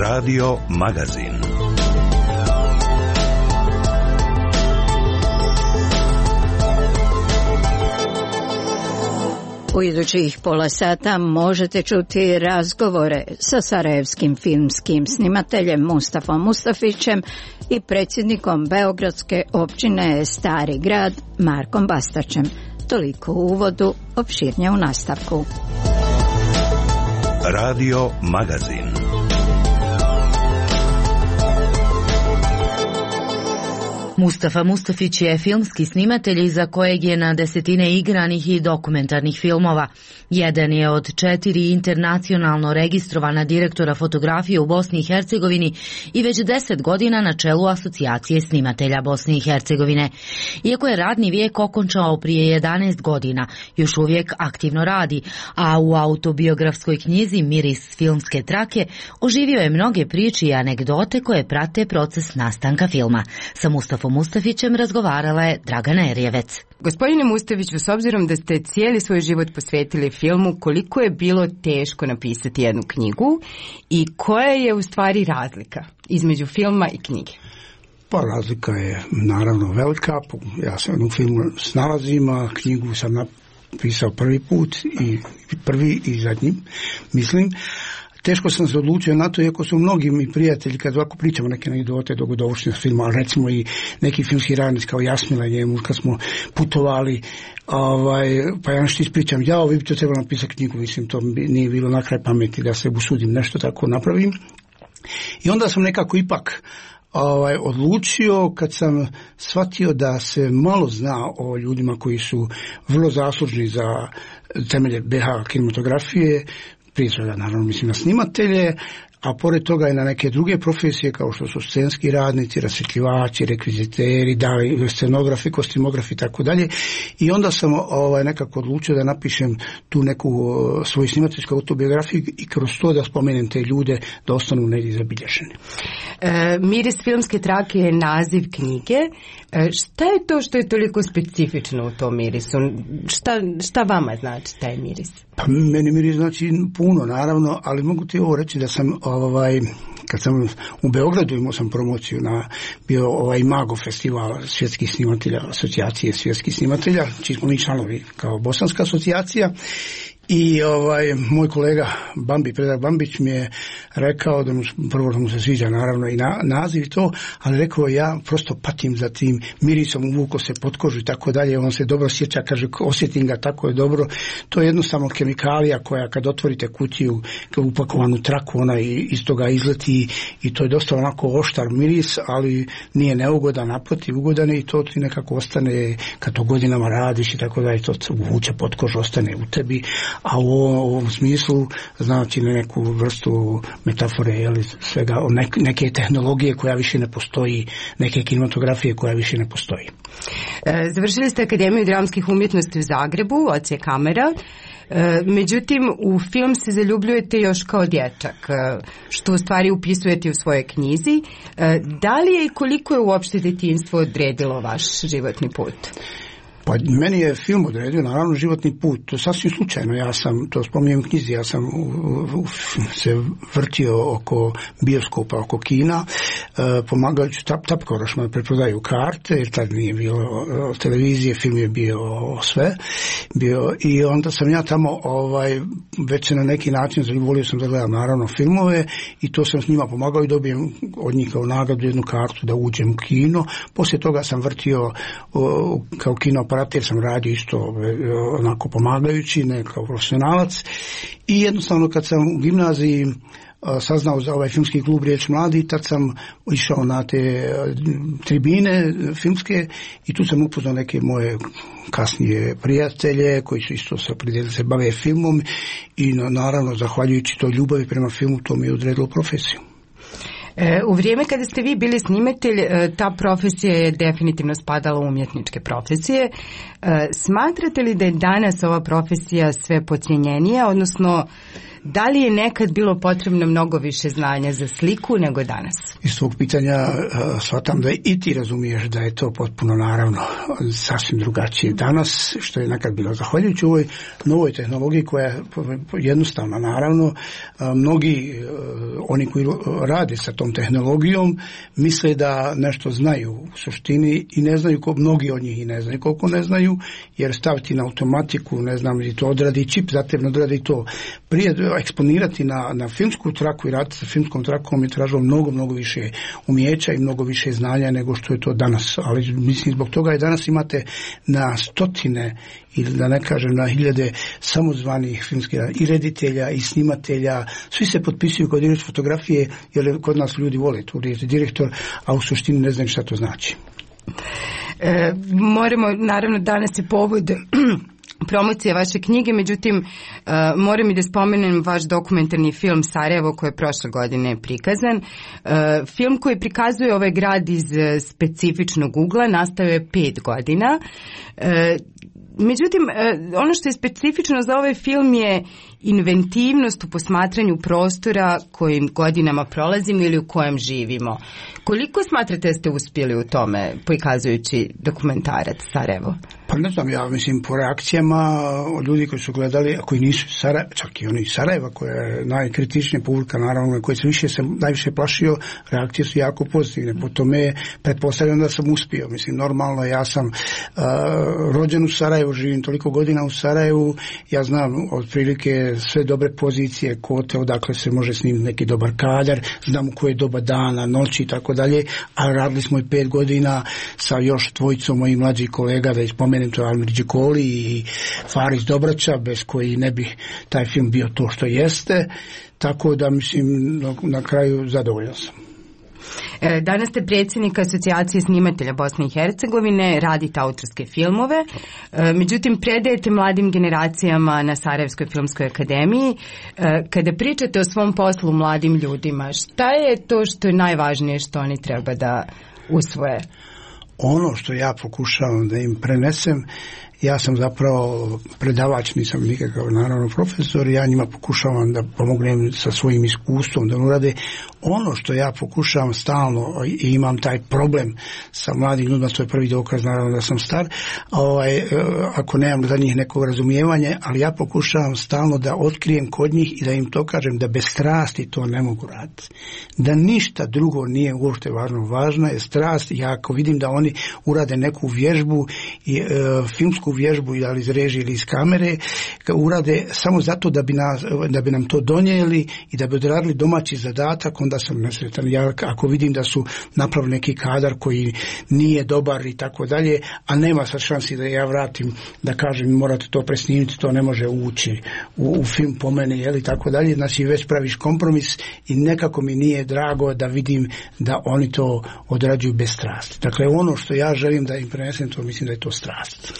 Radio Magazin. U idućih pola sata možete čuti razgovore sa sarajevskim filmskim snimateljem Mustafom Mustafićem i predsjednikom Beogradske općine Stari grad Markom Bastaćem. Toliko u uvodu, opširnije u nastavku. Radio Magazin. Mustafa Mustafić je filmski snimatelj iza kojeg je na desetine igranih i dokumentarnih filmova. Jedan je od 4 internacionalno registrovana direktora fotografije u Bosni i Hercegovini i već 10 godina na čelu Asocijacije snimatelja Bosne i Hercegovine. Iako je radni vijek okončao prije 11 godina, još uvijek aktivno radi, a u autobiografskoj knjizi Miris filmske trake oživio je mnoge priče i anegdote koje prate proces nastanka filma. Sa Mustafom Mustafićem razgovarala je Dragana Erjevec. Gospodine Mustafiću, s obzirom da ste cijeli svoj život posvetili filmu, koliko je bilo teško napisati jednu knjigu i koja je u stvari razlika između filma i knjige? Pa razlika je naravno velika. Ja se u filmu snalazim, a knjigu sam napisao prvi put i zadnji, mislim. Teško sam se odlučio na to, iako su mnogi mi prijatelji, kad ovako pričamo neke anegdote dogodovštine filma, ali recimo i neki filmski radnici kao Jasmila njemu, kad smo putovali, pa ja nešto ispričam, vi bi to trebalo napisati knjigu, mislim, to nije bilo na kraj pameti da se usudim nešto tako napravim. I onda sam nekako ipak odlučio, kad sam shvatio da se malo zna o ljudima koji su vrlo zaslužni za temelje BH kinematografije, prije svega naravno mislim na snimatelje, a pored toga i na neke druge profesije kao što su scenski radnici, rasvjetljivači, rekviziteri, scenografi, kostimografi i tako dalje. I onda sam nekako odlučio da napišem tu neku svoju snimateljsku autobiografiju i kroz to da spomenem te ljude da ostanu negdje zabilježeni. Miris filmske trake je naziv knjige. Šta je to što je toliko specifično u tom mirisu? Šta vama znači taj miris? Pa meni miris znači puno, naravno, ali mogu ti ovo reći da sam kad sam u Beogradu imao sam promociju na bio Imago festival svjetskih snimatelja, asocijacije svjetskih snimatelja, čiji smo mi članovi kao Bosanska asocijacija. I moj kolega Predrag Bambić mi je rekao da mu se sviđa naravno i naziv i to, ali rekao ja prosto patim za tim mirisom, uvuko se pod kožu i tako dalje, on se dobro sjeća, kaže osjetim ga, tako je dobro. To je jednostavno kemikalija koja kad otvorite kutiju upakovanu traku, ona iz toga izleti i to je dosta onako oštar miris, ali nije neugodan, naprotiv ugodan i to ti nekako ostane kad to godinama radiš i tako dalje, to uvuče pod kožu, ostane u tebi. A u ovom smislu znači neku vrstu metafore, svega, neke tehnologije koja više ne postoji, neke kinematografije koja više ne postoji. Završili ste Akademiju dramskih umjetnosti u Zagrebu, odsjek kamera. Međutim, u film se zaljubljujete još kao dječak, što u stvari upisujete u svojoj knjizi. Da li je i koliko je uopšte djetinjstvo odredilo vaš životni put? Pa meni je film odredio naravno životni put, to sasvim slučajno, ja sam, to spominjem u knjizi, ja sam se vrtio oko bioskopa, oko kina, pomagajući tapkorošima da preprodaju karte, jer tad nije bilo televizije, film je bio sve, i onda sam ja tamo već se na neki način volio sam da gledam naravno filmove i to sam s njima pomagao i dobijem od njih kao nagradu jednu kartu da uđem u kino. Poslije toga sam vrtio kao kino operater sam radio isto onako pomagajući, ne kao profesionalac, i jednostavno kad sam u gimnaziji saznao za ovaj filmski klub Riječ mladi, tad sam išao na te tribine filmske i tu sam upoznao neke moje kasnije prijatelje koji su isto se bave filmom i naravno zahvaljujući toj ljubavi prema filmu to mi je odredilo profesiju. U vrijeme kada ste vi bili snimatelj, ta profesija je definitivno spadala u umjetničke profesije. Smatrate li da je danas ova profesija sve podcijenjenija, odnosno da li je nekad bilo potrebno mnogo više znanja za sliku nego danas? Iz svog pitanja shvatam da i ti razumiješ da je to potpuno naravno sasvim drugačije danas, što je nekad bilo. Zahvaljujući ovoj novoj tehnologiji koja je jednostavna, naravno, mnogi oni koji rade sa tom tehnologijom misle da nešto znaju u suštini i ne znaju, mnogi od njih i ne znaju koliko ne znaju, jer staviti na automatiku, ne znam, i to odradi čip, zatim odradi to. Prije eksponirati na filmsku traku i raditi sa filmskom trakom je tražilo mnogo više umijeća i mnogo više znanja nego što je to danas. Ali mislim zbog toga i danas imate na stotine ili da ne kažem na hiljade samozvanih filmskih i reditelja i snimatelja. Svi se potpisuju kod direktor fotografije jer kod nas ljudi vole tu riječ direktor, a u suštini ne znaju šta to znači. Moramo, naravno danas je povod promocije vaše knjige, međutim moram i da spomenem vaš dokumentarni film Sarajevo koji je prošle godine prikazan. Film koji prikazuje ovaj grad iz specifičnog ugla nastao je 5 godina. Međutim, ono što je specifično za ovaj film je inventivnost u posmatranju prostora kojim godinama prolazimo ili u kojem živimo. Koliko smatrate da ste uspjeli u tome prikazujući dokumentarac Sarajevo? Pa ne znam, ja mislim po reakcijama od ljudi koji su gledali, a koji nisu čak i oni iz Sarajeva, koja je najkritičnija publika, naravno, koji se najviše plašio, reakcije su jako pozitivne. Po tome pretpostavljam da sam uspio. Mislim, normalno, ja sam rođen u Sarajevu, živim toliko godina u Sarajevu, ja znam otprilike sve dobre pozicije, kote, odakle se može snimiti neki dobar kadar, znam u koje doba dana, noći i tako dalje, a radili smo i 5 godina sa još dvojicom mojih mlađih kolega, da ispomenem, to je Almir Đikoli i Faris Dobraća, bez koji ne bi taj film bio to što jeste, tako da mislim na kraju zadovoljan sam. Danas ste predsjednik Asocijacije snimatelja Bosne i Hercegovine, radite autorske filmove, međutim predajete mladim generacijama na Sarajevskoj filmskoj akademiji. Kada pričate o svom poslu mladim ljudima, šta je to što je najvažnije što oni treba da usvoje? Ono što ja pokušavam da im prenesem, ja sam zapravo predavač, nisam nikakav naravno profesor, ja njima pokušavam da pomognem sa svojim iskustvom da urade ono što ja pokušavam stalno i imam taj problem sa mladim ljudima, to je prvi dokaz naravno da sam star, ako nemam za njih neko razumijevanje, ali ja pokušavam stalno da otkrijem kod njih i da im to kažem da bez strasti to ne mogu raditi. Da ništa drugo nije uopšte važno. Važna je strast. Ja ako vidim da oni urade neku vježbu, filmsku vježbu ili iz režije ili iz kamere, urade samo zato da bi nam to donijeli i da bi odradili domaći zadatak, onda sam nesretan. Ja ako vidim da su napravili neki kadar koji nije dobar i tako dalje, a nema sad šansi da ja vratim da kažem morate to presnimiti, to ne može ući u film po mene, jeli, tako dalje, znači već praviš kompromis i nekako mi nije drago da vidim da oni to odrađuju bez strasti. Dakle, ono što ja želim da im prenesem, to mislim da je to strast.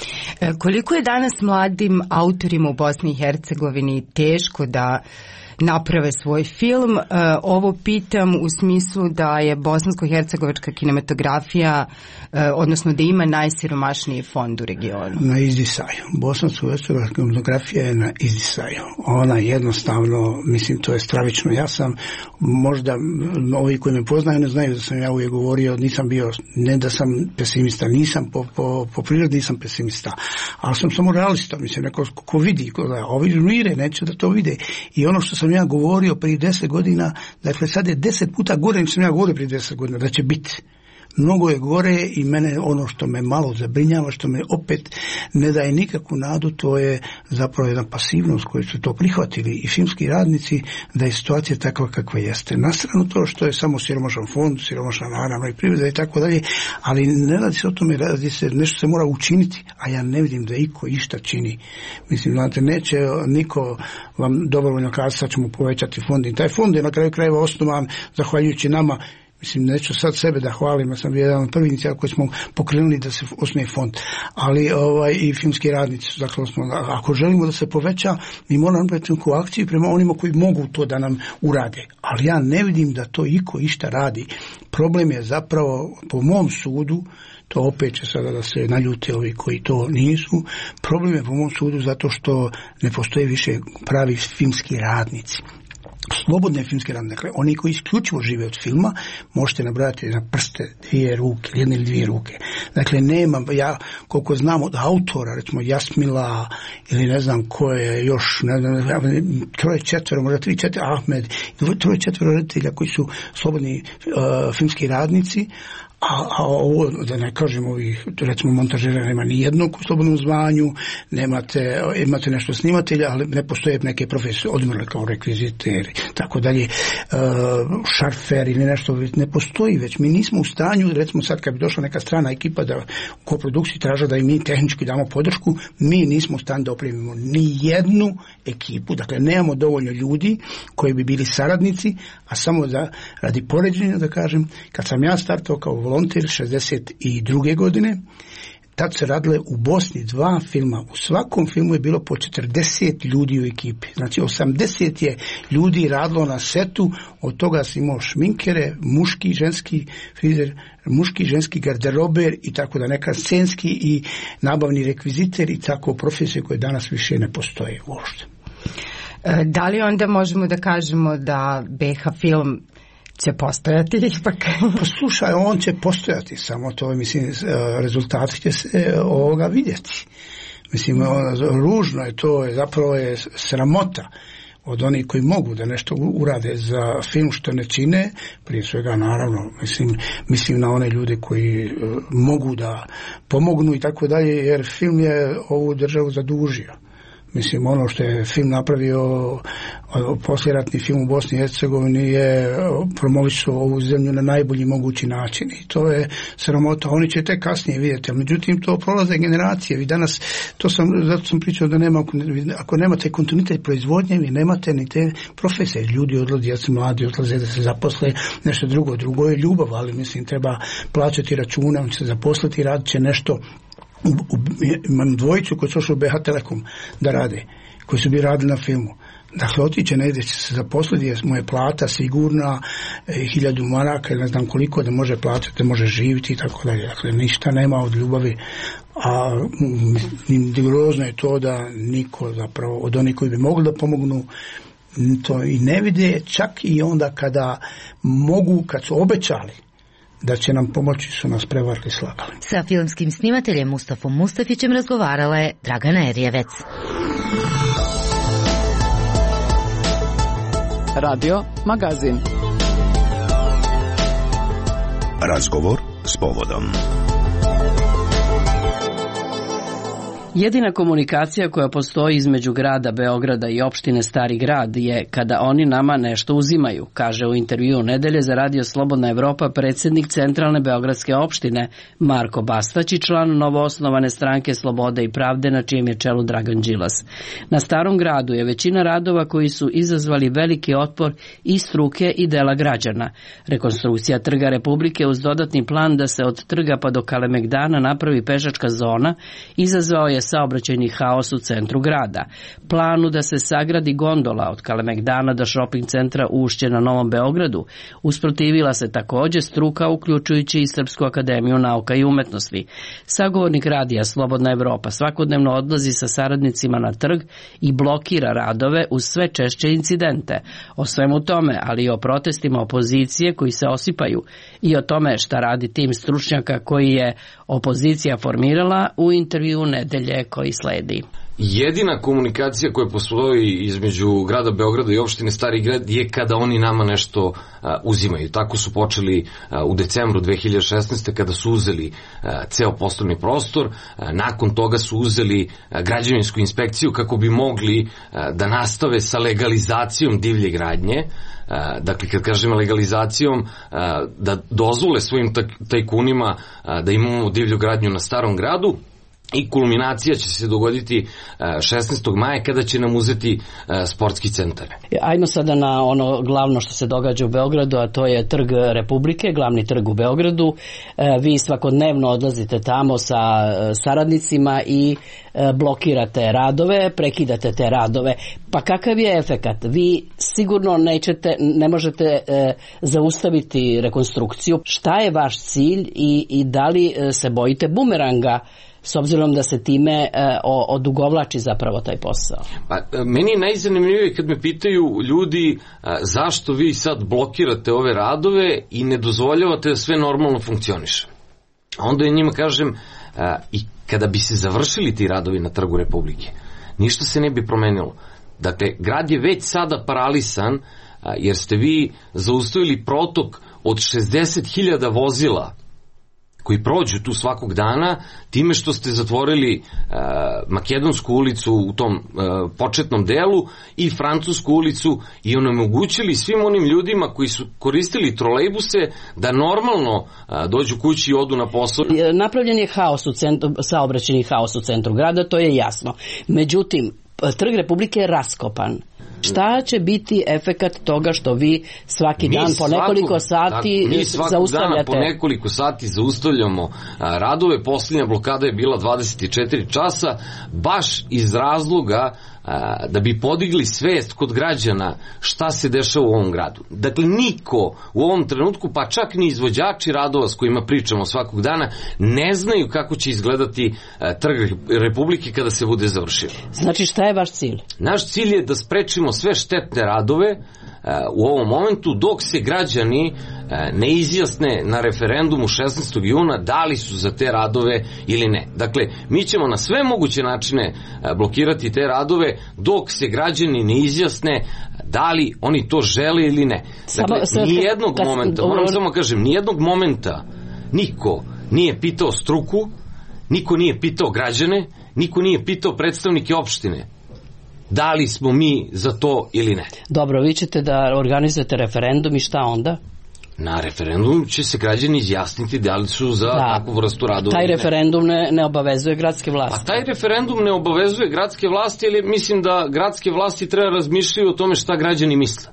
Koliko je danas mladim autorima u Bosni i Hercegovini teško da naprave svoj film? Ovo pitam u smislu da je bosansko-hercegovačka kinematografija, odnosno da ima najsiromašniji fond u regionu. Na izdisaju. Bosansko-hercegovačka kinematografija je na izdisaju. Ona jednostavno, mislim, to je stravično. Ja sam, možda ovi koji me poznaju ne znaju da sam ja uvijek govorio, nisam bio, ne da sam pesimista, nisam po prirodi nisam pesimista, ali sam samo realista, mislim, neko ko vidi, ovi žmire, neće da to vide. I ono što sam ja govorio prije 10 godina, dakle sad je 10 puta gore nego sam ja govorio prije 10 godina da će biti. Mnogo je gore i mene ono što me malo zabrinjava, što me opet ne daje nikakvu nadu, to je zapravo jedna pasivnost koju su to prihvatili i filmski radnici, da je situacija takva kakva jeste. Na stranu to što je samo siromašan fond, siromašna naravno i privreda i tako dalje, ali ne radi se o tome, radi se, nešto se mora učiniti, a ja ne vidim da iko išta čini. Mislim, znate, neće niko vam dobrovoljno kazati sad ćemo povećati fond. I taj fond je na kraju krajeva osnovan zahvaljujući nama. Mislim, neću sad sebe da hvalim, ja sam bio jedan od prvih inicijala koji smo pokrenuli da se osnuje fond, ali i filmski radnici su, dakle, ako želimo da se poveća, mi moramo napraviti neku akciju prema onima koji mogu to da nam urade, ali ja ne vidim da to iko išta radi. Problem je zapravo, po mom sudu, to opet će sada da se naljute ovi koji to nisu, problem je po mom sudu zato što ne postoje više pravi filmski radnici. Slobodne filmske radnike, dakle, oni koji isključivo žive od filma, možete nabrati na prste dvije ruke, jedne ili dvije ruke. Dakle, nema, ja koliko znam od autora, recimo Jasmila ili ne znam ko je još, ne znam, 3-4, možda 3-4, Ahmed, 3-4 reditelja koji su slobodni filmski radnici, a ovo, da ne kažem ovih, recimo montažera nema ni jednog u slobodnom zvanju, imate nešto snimatelja, ali ne postoje neke profesije, odmrle kao rekviziteri, tako dalje, šarfer ili nešto, ne postoji već. Mi nismo u stanju, recimo sad kad bi došla neka strana ekipa da u koprodukciji traža da i mi tehnički damo podršku, mi nismo u stanju da opremimo ni jednu ekipu, dakle nemamo dovoljno ljudi koji bi bili saradnici, a samo da radi poređenja da kažem, kad sam ja startao kao volonter 62. godine, tad se radile u Bosni 2 filma. U svakom filmu je bilo po 40 ljudi u ekipi. Znači 80 je ljudi radilo na setu, od toga si imao šminkere, muški, ženski frizer, muški, ženski garderober i tako da neka scenski i nabavni rekviziter i tako profesije koje danas više ne postoje uopšte. Da li onda možemo da kažemo da BH film će postojati ipak? Pa slušaj, on će postojati, samo to, mislim, rezultati će se ovoga vidjeti. Mislim, ružno je to, zapravo je sramota od onih koji mogu da nešto urade za film što ne čine, prije svega naravno, mislim na one ljude koji mogu da pomognu i tako dalje, jer film je ovu državu zadužio. Mislim, ono što je film napravio, posljeratni film u Bosni i Hercegovini je promovisao ovu zemlju na najbolji mogući način i to je sramota. Oni će tek kasnije vidjeti, ali međutim to prolaze generacije. Vi danas, zato sam pričao da nema, ako nemate kontinuitet proizvodnje, vi nemate ni te profesije. Ljudi odlaze, djeca mladi odlaze da se zaposle, nešto drugo je ljubav, ali mislim treba plaćati račune, on će se zaposliti, radit će nešto. Imam dvojicu koji su ošli u BH Telekom da rade, koji su bi radili na filmu. Dakle, otiće negdje će se zaposliti, jer mu je plata sigurna, 1000 maraka ili ne znam koliko da može plaćati, da može živjeti i tako dalje. Dakle, ništa nema od ljubavi, a grozno je to da niko zapravo od onih koji bi mogli da pomognu to i ne vide, čak i onda kada mogu, kad su obećali da će nam pomoći, su nas prevarili, slagali. Sa filmskim snimateljem Mustafom Mustafićem razgovarala je Dragana Erjevec. Radio Magazin. Razgovor s povodom. Jedina komunikacija koja postoji između grada Beograda i opštine Stari Grad je kada oni nama nešto uzimaju, kaže u intervjuu Nedelje za Radio Slobodna Evropa predsjednik Centralne beogradske opštine Marko Bastać i član novoosnovane stranke Slobode i pravde na čijem je čelu Dragan Đilas. Na Starom Gradu je većina radova koji su izazvali veliki otpor i struke i dela građana. Rekonstrukcija Trga Republike uz dodatni plan da se od trga pa do Kalemegdana napravi pešačka zona izazvao je saobraćajni haos u centru grada. Planu da se sagradi gondola od Kalemegdana do shopping centra Ušće na Novom Beogradu usprotivila se također struka, uključujući i Srpsku akademiju nauka i umetnosti. Sagovornik radija Slobodna Evropa svakodnevno odlazi sa saradnicima na trg i blokira radove uz sve češće incidente. O svemu tome, ali i o protestima opozicije koji se osipaju i o tome šta radi tim stručnjaka koji je opozicija formirala u intervjuu Nedelje nadalje koji sledi. Jedina komunikacija koja postoji između grada Beograda i opštine Stari Grad je kada oni nama nešto uzimaju. Tako su počeli u decembru 2016. kada su uzeli ceo poslovni prostor. Nakon toga su uzeli građevinsku inspekciju kako bi mogli da nastave sa legalizacijom divlje gradnje. Dakle, kad kažemo legalizacijom, da dozvole svojim tajkunima da imamo divlju gradnju na Starom Gradu. I kulminacija će se dogoditi 16. maja kada će nam uzeti sportski centar. Ajmo sada na ono glavno što se događa u Beogradu, a to je Trg Republike, glavni trg u Beogradu. Vi svakodnevno odlazite tamo sa saradnicima i blokirate radove, prekidate te radove. Pa kakav je efekat? Vi sigurno ne možete zaustaviti rekonstrukciju. Šta je vaš cilj i da li se bojite bumeranga, s obzirom da se time odugovlači zapravo taj posao? Pa, meni je najzanimljivije kad me pitaju ljudi zašto vi sad blokirate ove radove i ne dozvoljavate da sve normalno funkcioniše. Onda ja njima kažem i kada bi se završili ti radovi na Trgu Republike, ništa se ne bi promenilo. Dakle, grad je već sada paralisan jer ste vi zaustavili protok od 60.000 vozila koji prođu tu svakog dana, time što ste zatvorili Makedonsku ulicu u tom početnom delu i Francusku ulicu i onemogućili svim onim ljudima koji su koristili trolejbuse da normalno dođu kući i odu na posao. Napravljen je haos u centru, saobraćajni haos u centru grada, to je jasno. Međutim, Trg Republike je raskopan. Šta će biti efekat toga što vi svaki dan po nekoliko sati mi svakog zaustavljate? Dana po nekoliko sati zaustavljamo radove. Posljednja blokada je bila 24 časa, baš iz razloga da bi podigli svest kod građana šta se dešava u ovom gradu. Dakle, niko u ovom trenutku, pa čak ni izvođači radova s kojima pričamo svakog dana, ne znaju kako će izgledati Trg Republike kada se bude završio. Znači, šta je vaš cilj? Naš cilj je da sprečimo sve štetne radove u ovom momentu dok se građani ne izjasne na referendumu 16. juna da li su za te radove ili ne. Dakle, mi ćemo na sve moguće načine blokirati te radove dok se građani ne izjasne da li oni to žele ili ne. Dakle, nijednog momenta, moram samo kažem, nijednog momenta niko nije pitao struku, niko nije pitao građane, niko nije pitao predstavnike opštine da li smo mi za to ili ne. Dobro, vi ćete da organizujete referendum i šta onda? Na referendum će se građani izjasniti da li su za takvu vrstu radova. Taj referendum ne obavezuje gradske vlasti. Pa taj referendum ne obavezuje gradske vlasti, ali mislim da gradske vlasti treba razmišljati o tome šta građani misle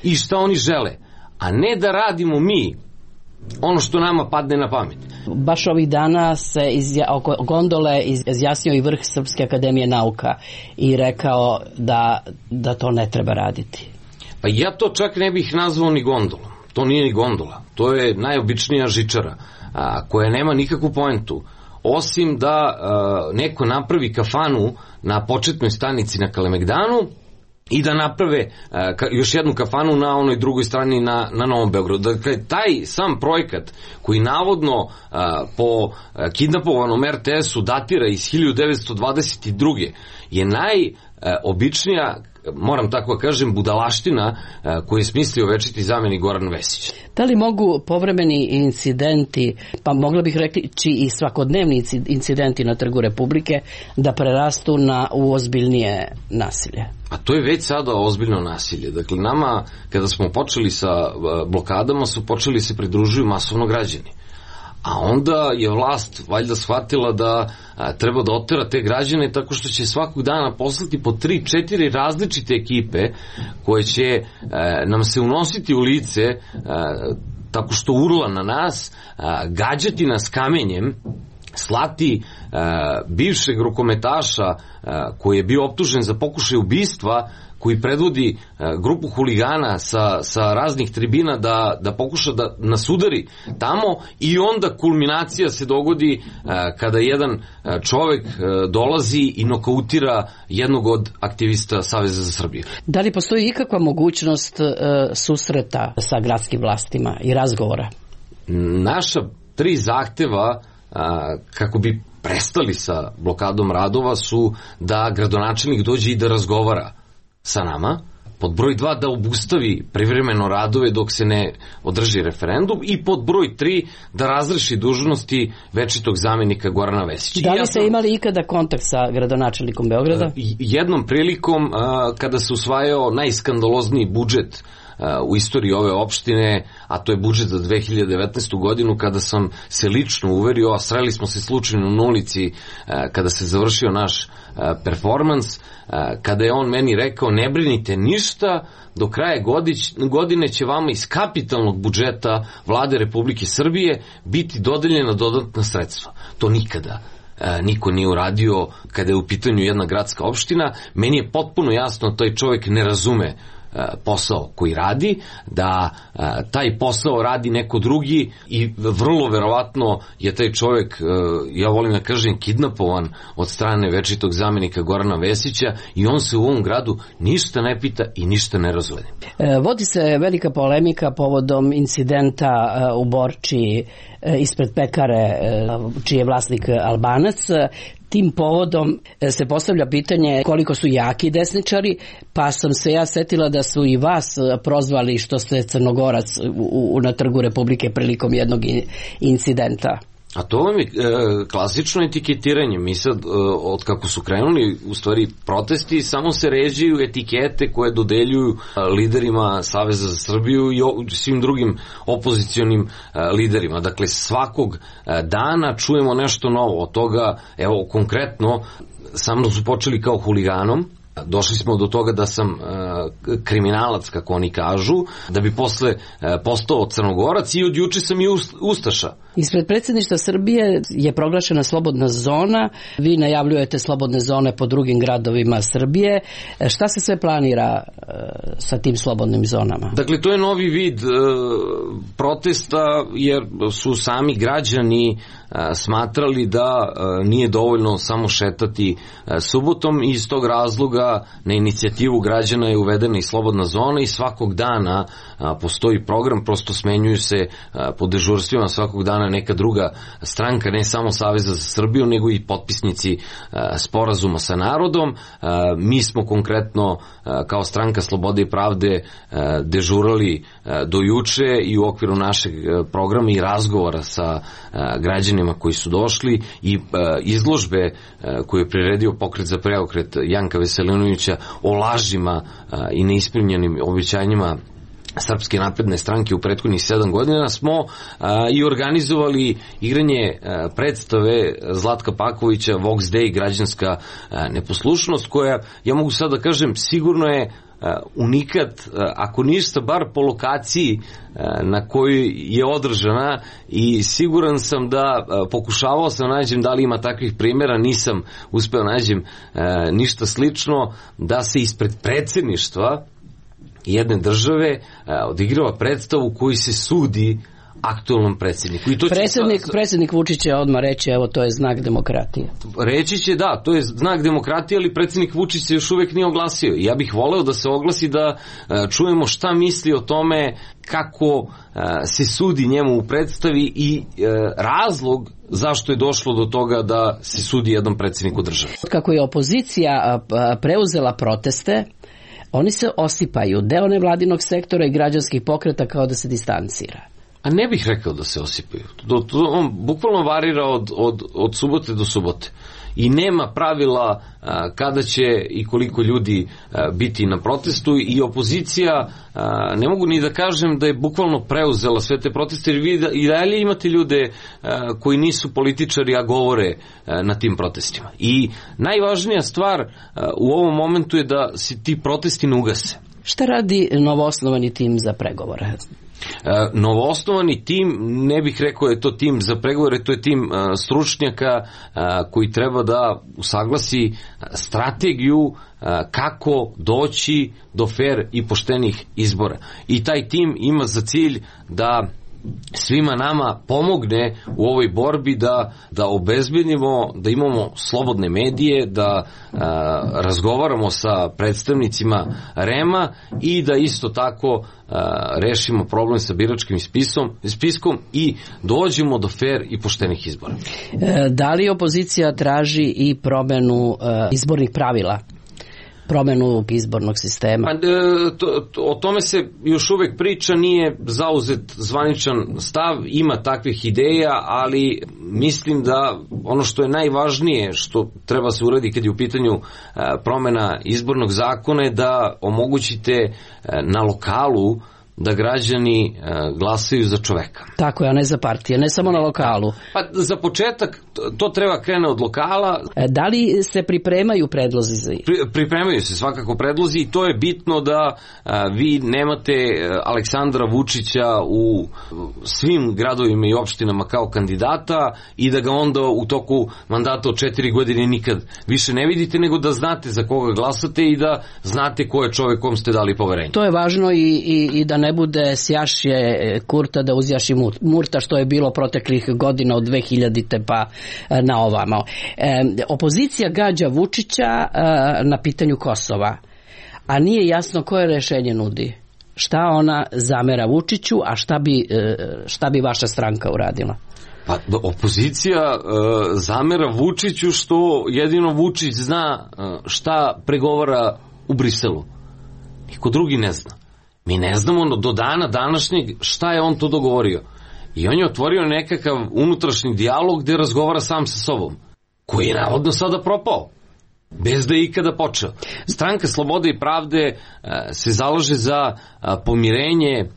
i šta oni žele, a ne da radimo mi ono što nama padne na pamet. Baš ovih dana se oko gondole izjasnio i vrh Srpske akademije nauka i rekao da to ne treba raditi. Pa ja to čak ne bih nazvao ni gondolom. To nije ni gondola. To je najobičnija žičara koja nema nikakvu poentu. Osim da neko napravi kafanu na početnoj stanici na Kalemegdanu i da naprave još jednu kafanu na onoj drugoj strani na Novom Beogradu. Dakle, taj sam projekat koji navodno po kidnapovanom RTS-u datira iz 1922. je najobičnija, moram tako kažem, budalaština koju je smislio večiti zamenik Goran Vesić. Da li mogu povremeni incidenti, pa mogla bih reći i svakodnevni incidenti na Trgu Republike da prerastu u ozbiljnije nasilje? A to je već sada ozbiljno nasilje. Dakle, nama, kada smo počeli sa blokadama, su počeli se pridružuju masovno građani. A onda je vlast valjda shvatila da treba da otera te građane tako što će svakog dana poslati po 3-4 različite ekipe koje će nam se unositi u lice tako što urla na nas, gađati nas kamenjem, slati bivšeg rukometaša koji je bio optužen za pokušaj ubistva, koji predvodi grupu huligana sa raznih tribina da pokuša da nas udari tamo i onda kulminacija se dogodi kada jedan čovek dolazi i nokautira jednog od aktivista Saveza za Srbiju. Da li postoji ikakva mogućnost susreta sa gradskim vlastima i razgovora? Naša 3 zahteva kako bi prestali sa blokadom radova su da gradonačelnik dođe i da razgovara sa nama. Pod broj 2 da obustavi privremeno radove dok se ne održi referendum i pod broj 3 da razreši dužnosti večitog zamenika Gorana Vesića. Da li ste imali ikada kontakt sa gradonačelnikom Beograda? Jednom prilikom kada se usvajao najskandalozniji budžet u istoriji ove opštine, a to je budžet za 2019. godinu, kada sam se lično uverio, a sreli smo se slučajno na ulici kada se završio naš performans, kada je on meni rekao ne brinite ništa, do kraja godine će vama iz kapitalnog budžeta Vlade Republike Srbije biti dodeljena dodatna sredstva. To nikada niko nije uradio kada je u pitanju jedna gradska opština. Meni je potpuno jasno taj čovjek ne razume posao koji radi, da taj posao radi neko drugi i vrlo verovatno je taj čovjek, ja volim da kažem, kidnapovan od strane večitog zamenika Gorana Vesića i on se u ovom gradu ništa ne pita i ništa ne razvede. Vodi se velika polemika povodom incidenta u Borči ispred pekare čiji je vlasnik Albanac. Tim povodom se postavlja pitanje koliko su jaki desničari, pa sam se ja setila da su i vas prozvali što ste Crnogorac na Trgu Republike prilikom jednog incidenta. A to vam je klasično etiketiranje. Mi sad, od kako su krenuli u stvari protesti, samo se ređuju etikete koje dodeljuju liderima Saveza za Srbiju i svim drugim opozicionim liderima. Dakle, svakog dana čujemo nešto novo. Od toga, evo, konkretno, sa mnom su počeli kao huliganom. Došli smo do toga da sam kriminalac, kako oni kažu, da bi posle postao Crnogorac i od juče sam i ustaša. Ispred predsjedništva Srbije je proglašena slobodna zona, vi najavljujete slobodne zone po drugim gradovima Srbije. Šta se sve planira sa tim slobodnim zonama? Dakle, to je novi vid protesta, jer su sami građani smatrali da nije dovoljno samo šetati subotom i iz tog razloga na inicijativu građana je uvedena i slobodna zona i svakog dana postoji program, prosto smenjuju se po dežurstvima svakog dana neka druga stranka, ne samo Saveza za Srbiju, nego i potpisnici sporazuma sa narodom. Mi smo konkretno kao stranka Slobode i pravde dežurali do juče i u okviru našeg programa i razgovora sa građanima koji su došli i izložbe koju je priredio Pokret za preokret Janka Veselinovića o lažima i neispunjenim obećanjima Srpske napredne stranke u prethodnih 7 godina smo i organizovali igranje predstave Zlatka Pakovića Vox Day, građanska neposlušnost, koja, ja mogu sad da kažem, sigurno je unikat, ako ništa, bar po lokaciji na kojoj je održana, i siguran sam da pokušavao sam nađem da li ima takvih primjera, nisam uspeo nađem ništa slično, da se ispred predsjedništva jedne države odigrava predstavu koji se sudi aktualnom predsjedniku. I to predsjednik Vučić će odmah reći, evo, to je znak demokratije. Reći će, da, to je znak demokratije, ali predsjednik Vučić se još uvijek nije oglasio. I ja bih voleo da se oglasi, da čujemo šta misli o tome, kako se sudi njemu u predstavi i razlog zašto je došlo do toga da se sudi jednom predsjedniku države. Kako je opozicija preuzela proteste, oni se osipaju, deo nevladinog sektora i građanskih pokreta kao da se distancira. A ne bih rekao da se osipaju. On bukvalno varira od subote do subote. I nema pravila kada će i koliko ljudi biti na protestu, i opozicija, ne mogu ni da kažem da je bukvalno preuzela sve te proteste, jer vi i dalje imate ljude koji nisu političari, a govore na tim protestima. I najvažnija stvar u ovom momentu je da se ti protesti ne ugase. Šta radi novoosnovani tim za pregovore? Novoosnovani tim, ne bih rekao je to tim za pregovore, to je tim stručnjaka koji treba da usaglasi strategiju kako doći do fer i poštenih izbora. I taj tim ima za cilj da svima nama pomogne u ovoj borbi da obezbedimo, da imamo slobodne medije, da razgovaramo sa predstavnicima REM-a i da isto tako rešimo problem sa biračkim spiskom i dođemo do fer i poštenih izbora. Da li opozicija traži i promenu izbornih pravila? Promenu izbornog sistema? O tome se još uvek priča, nije zauzet zvaničan stav, ima takvih ideja, ali mislim da ono što je najvažnije što treba se uradi kad je u pitanju promena izbornog zakona je da omogućite na lokalu da građani glasaju za čoveka. Tako je, a ne za partije, ne samo na lokalu. Pa za početak to treba krene od lokala. Da li se pripremaju predlozi? Pripremaju se svakako predlozi i to je bitno da vi nemate Aleksandra Vučića u svim gradovima i opštinama kao kandidata i da ga onda u toku mandata od 4 godine nikad više ne vidite, nego da znate za koga glasate i da znate ko je čovek kom ste dali poverenje. To je važno i da ne bude sjašje Kurta da uzjaši Murta, što je bilo proteklih godina od 2000. pa na ovamo. Opozicija gađa Vučića na pitanju Kosova, a nije jasno koje rešenje nudi. Šta ona zamera Vučiću, a šta bi vaša stranka uradila? Pa opozicija zamera Vučiću što jedino Vučić zna šta pregovara u Briselu. Niko drugi ne zna. Mi ne znamo do dana današnjeg šta je on to dogovorio. I on je otvorio nekakav unutrašnji dijalog gde razgovara sam sa sobom, koji je navodno sada propao, bez da je ikada počeo. Stranka Slobode i pravde se zalaže za pomirenje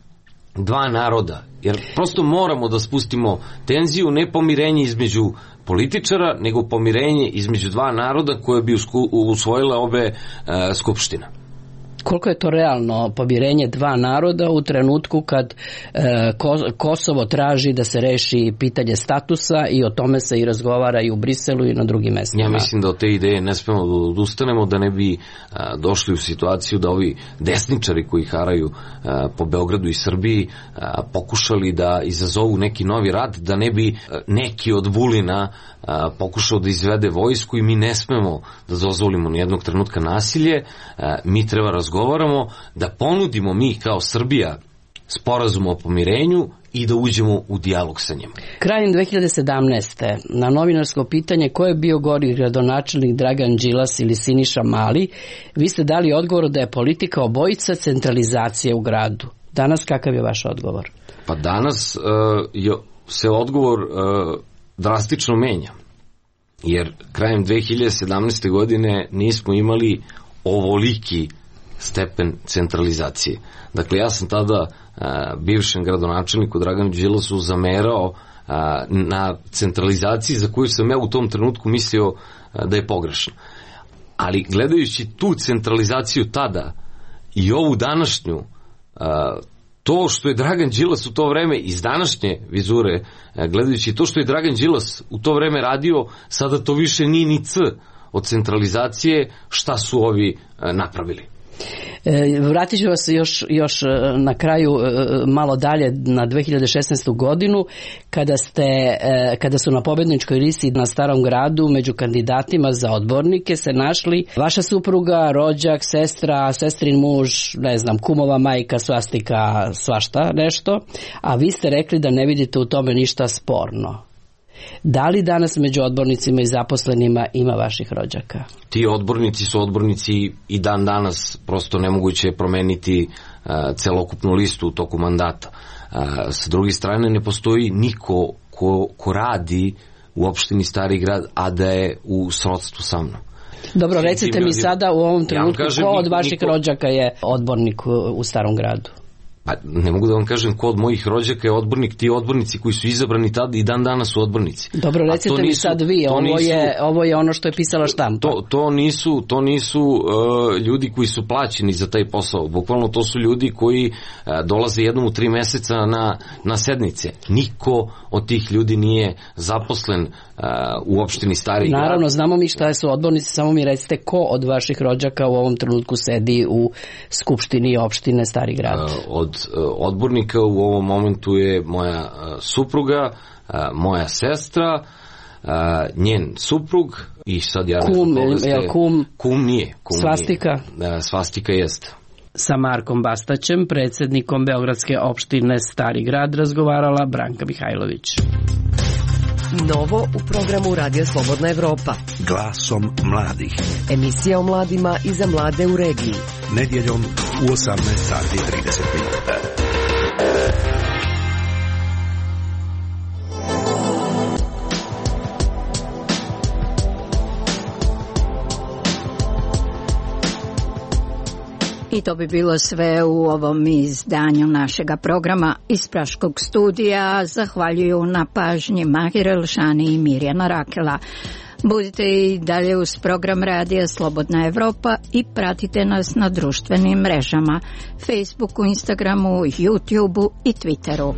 dva naroda, jer prosto moramo da spustimo tenziju, ne pomirenje između političara, nego pomirenje između dva naroda koje bi usvojile obe skupštine. Koliko je to realno pomirenje dva naroda u trenutku kad Kosovo traži da se reši pitanje statusa i o tome se i razgovara i u Briselu i na drugim mestima? Ja mislim da od te ideje ne smemo da odustanemo, da ne bi došli u situaciju da ovi desničari koji haraju po Beogradu i Srbiji pokušali da izazovu neki novi rat, da ne bi neki od Vulina pokušao da izvede vojsku i mi ne smemo da dozvolimo nijednog trenutka nasilje. Mi treba razgovaramo, da ponudimo mi kao Srbija sporazum o pomirenju i da uđemo u dijalog sa njima. Krajem 2017. na novinarsko pitanje ko je bio gori gradonačelnik, Dragan Đilas ili Siniša Mali, vi ste dali odgovor da je politika obojica centralizacije u gradu. Danas kakav je vaš odgovor? Pa danas se odgovor drastično menja. Jer krajem 2017. godine nismo imali ovoliki stepen centralizacije. Dakle, ja sam tada bivšem gradonačelniku Draganu Đilasu zamerao na centralizaciji za koju sam ja u tom trenutku mislio da je pogrešna. Ali gledajući tu centralizaciju tada i ovu današnju, to što je Dragan Đilas u to vreme iz današnje vizure, gledajući to što je Dragan Đilas u to vreme radio, sada to više nije ni C od centralizacije šta su ovi napravili. Vratit ću vas još na kraju malo dalje na 2016. godinu kada su na pobedničkoj listi na Starom gradu među kandidatima za odbornike se našli vaša supruga, rođak, sestra, sestrin muž, ne znam, kumova majka, svastika, svašta nešto, a vi ste rekli da ne vidite u tome ništa sporno. Da li danas među odbornicima i zaposlenima ima vaših rođaka? Ti odbornici su odbornici i dan danas, prosto nemoguće je promeniti celokupnu listu u toku mandata. Sa druge strane, ne postoji niko ko radi u opštini Stari grad, a da je u srodstvu sa mnom. Dobro, recite mi sada u ovom trenutku ko od vaših rođaka je odbornik u Starom gradu? Pa ne mogu da vam kažem ko od mojih rođaka je odbornik, ti odbornici koji su izabrani tada i dan danas su odbornici. Dobro, recite mi sad vi, ovo je ono što je pisala štampa. To nisu ljudi koji su plaćeni za taj posao, bukvalno to su ljudi koji dolaze jednom u 3 meseca na sednice. Niko od tih ljudi nije zaposlen u opštini Stari Grad. Naravno, znamo mi šta su odbornici, samo mi recite ko od vaših rođaka u ovom trenutku sedi u skupštini opštine Stari Grad? Od odbornika u ovom momentu je moja supruga, moja sestra, njen suprug i sad ja... Kum nije. Svastika? Svastika jeste. Sa Markom Bastaćem, predsjednikom Beogradske opštine Stari Grad, razgovarala Branka Mihajlović. Novo u programu Radio Slobodna Evropa. Glasom mladih. Emisija o mladima i za mlade u regiji. Nedjeljom u 18 sati 30 minuta. I to bi bilo sve u ovom izdanju našega programa iz Praškog studija. Zahvaljuju na pažnji Mahir Elšani i Mirjana Rakela. Budite i dalje uz program Radija Slobodna Evropa i pratite nas na društvenim mrežama, Facebooku, Instagramu, YouTubeu i Twitteru.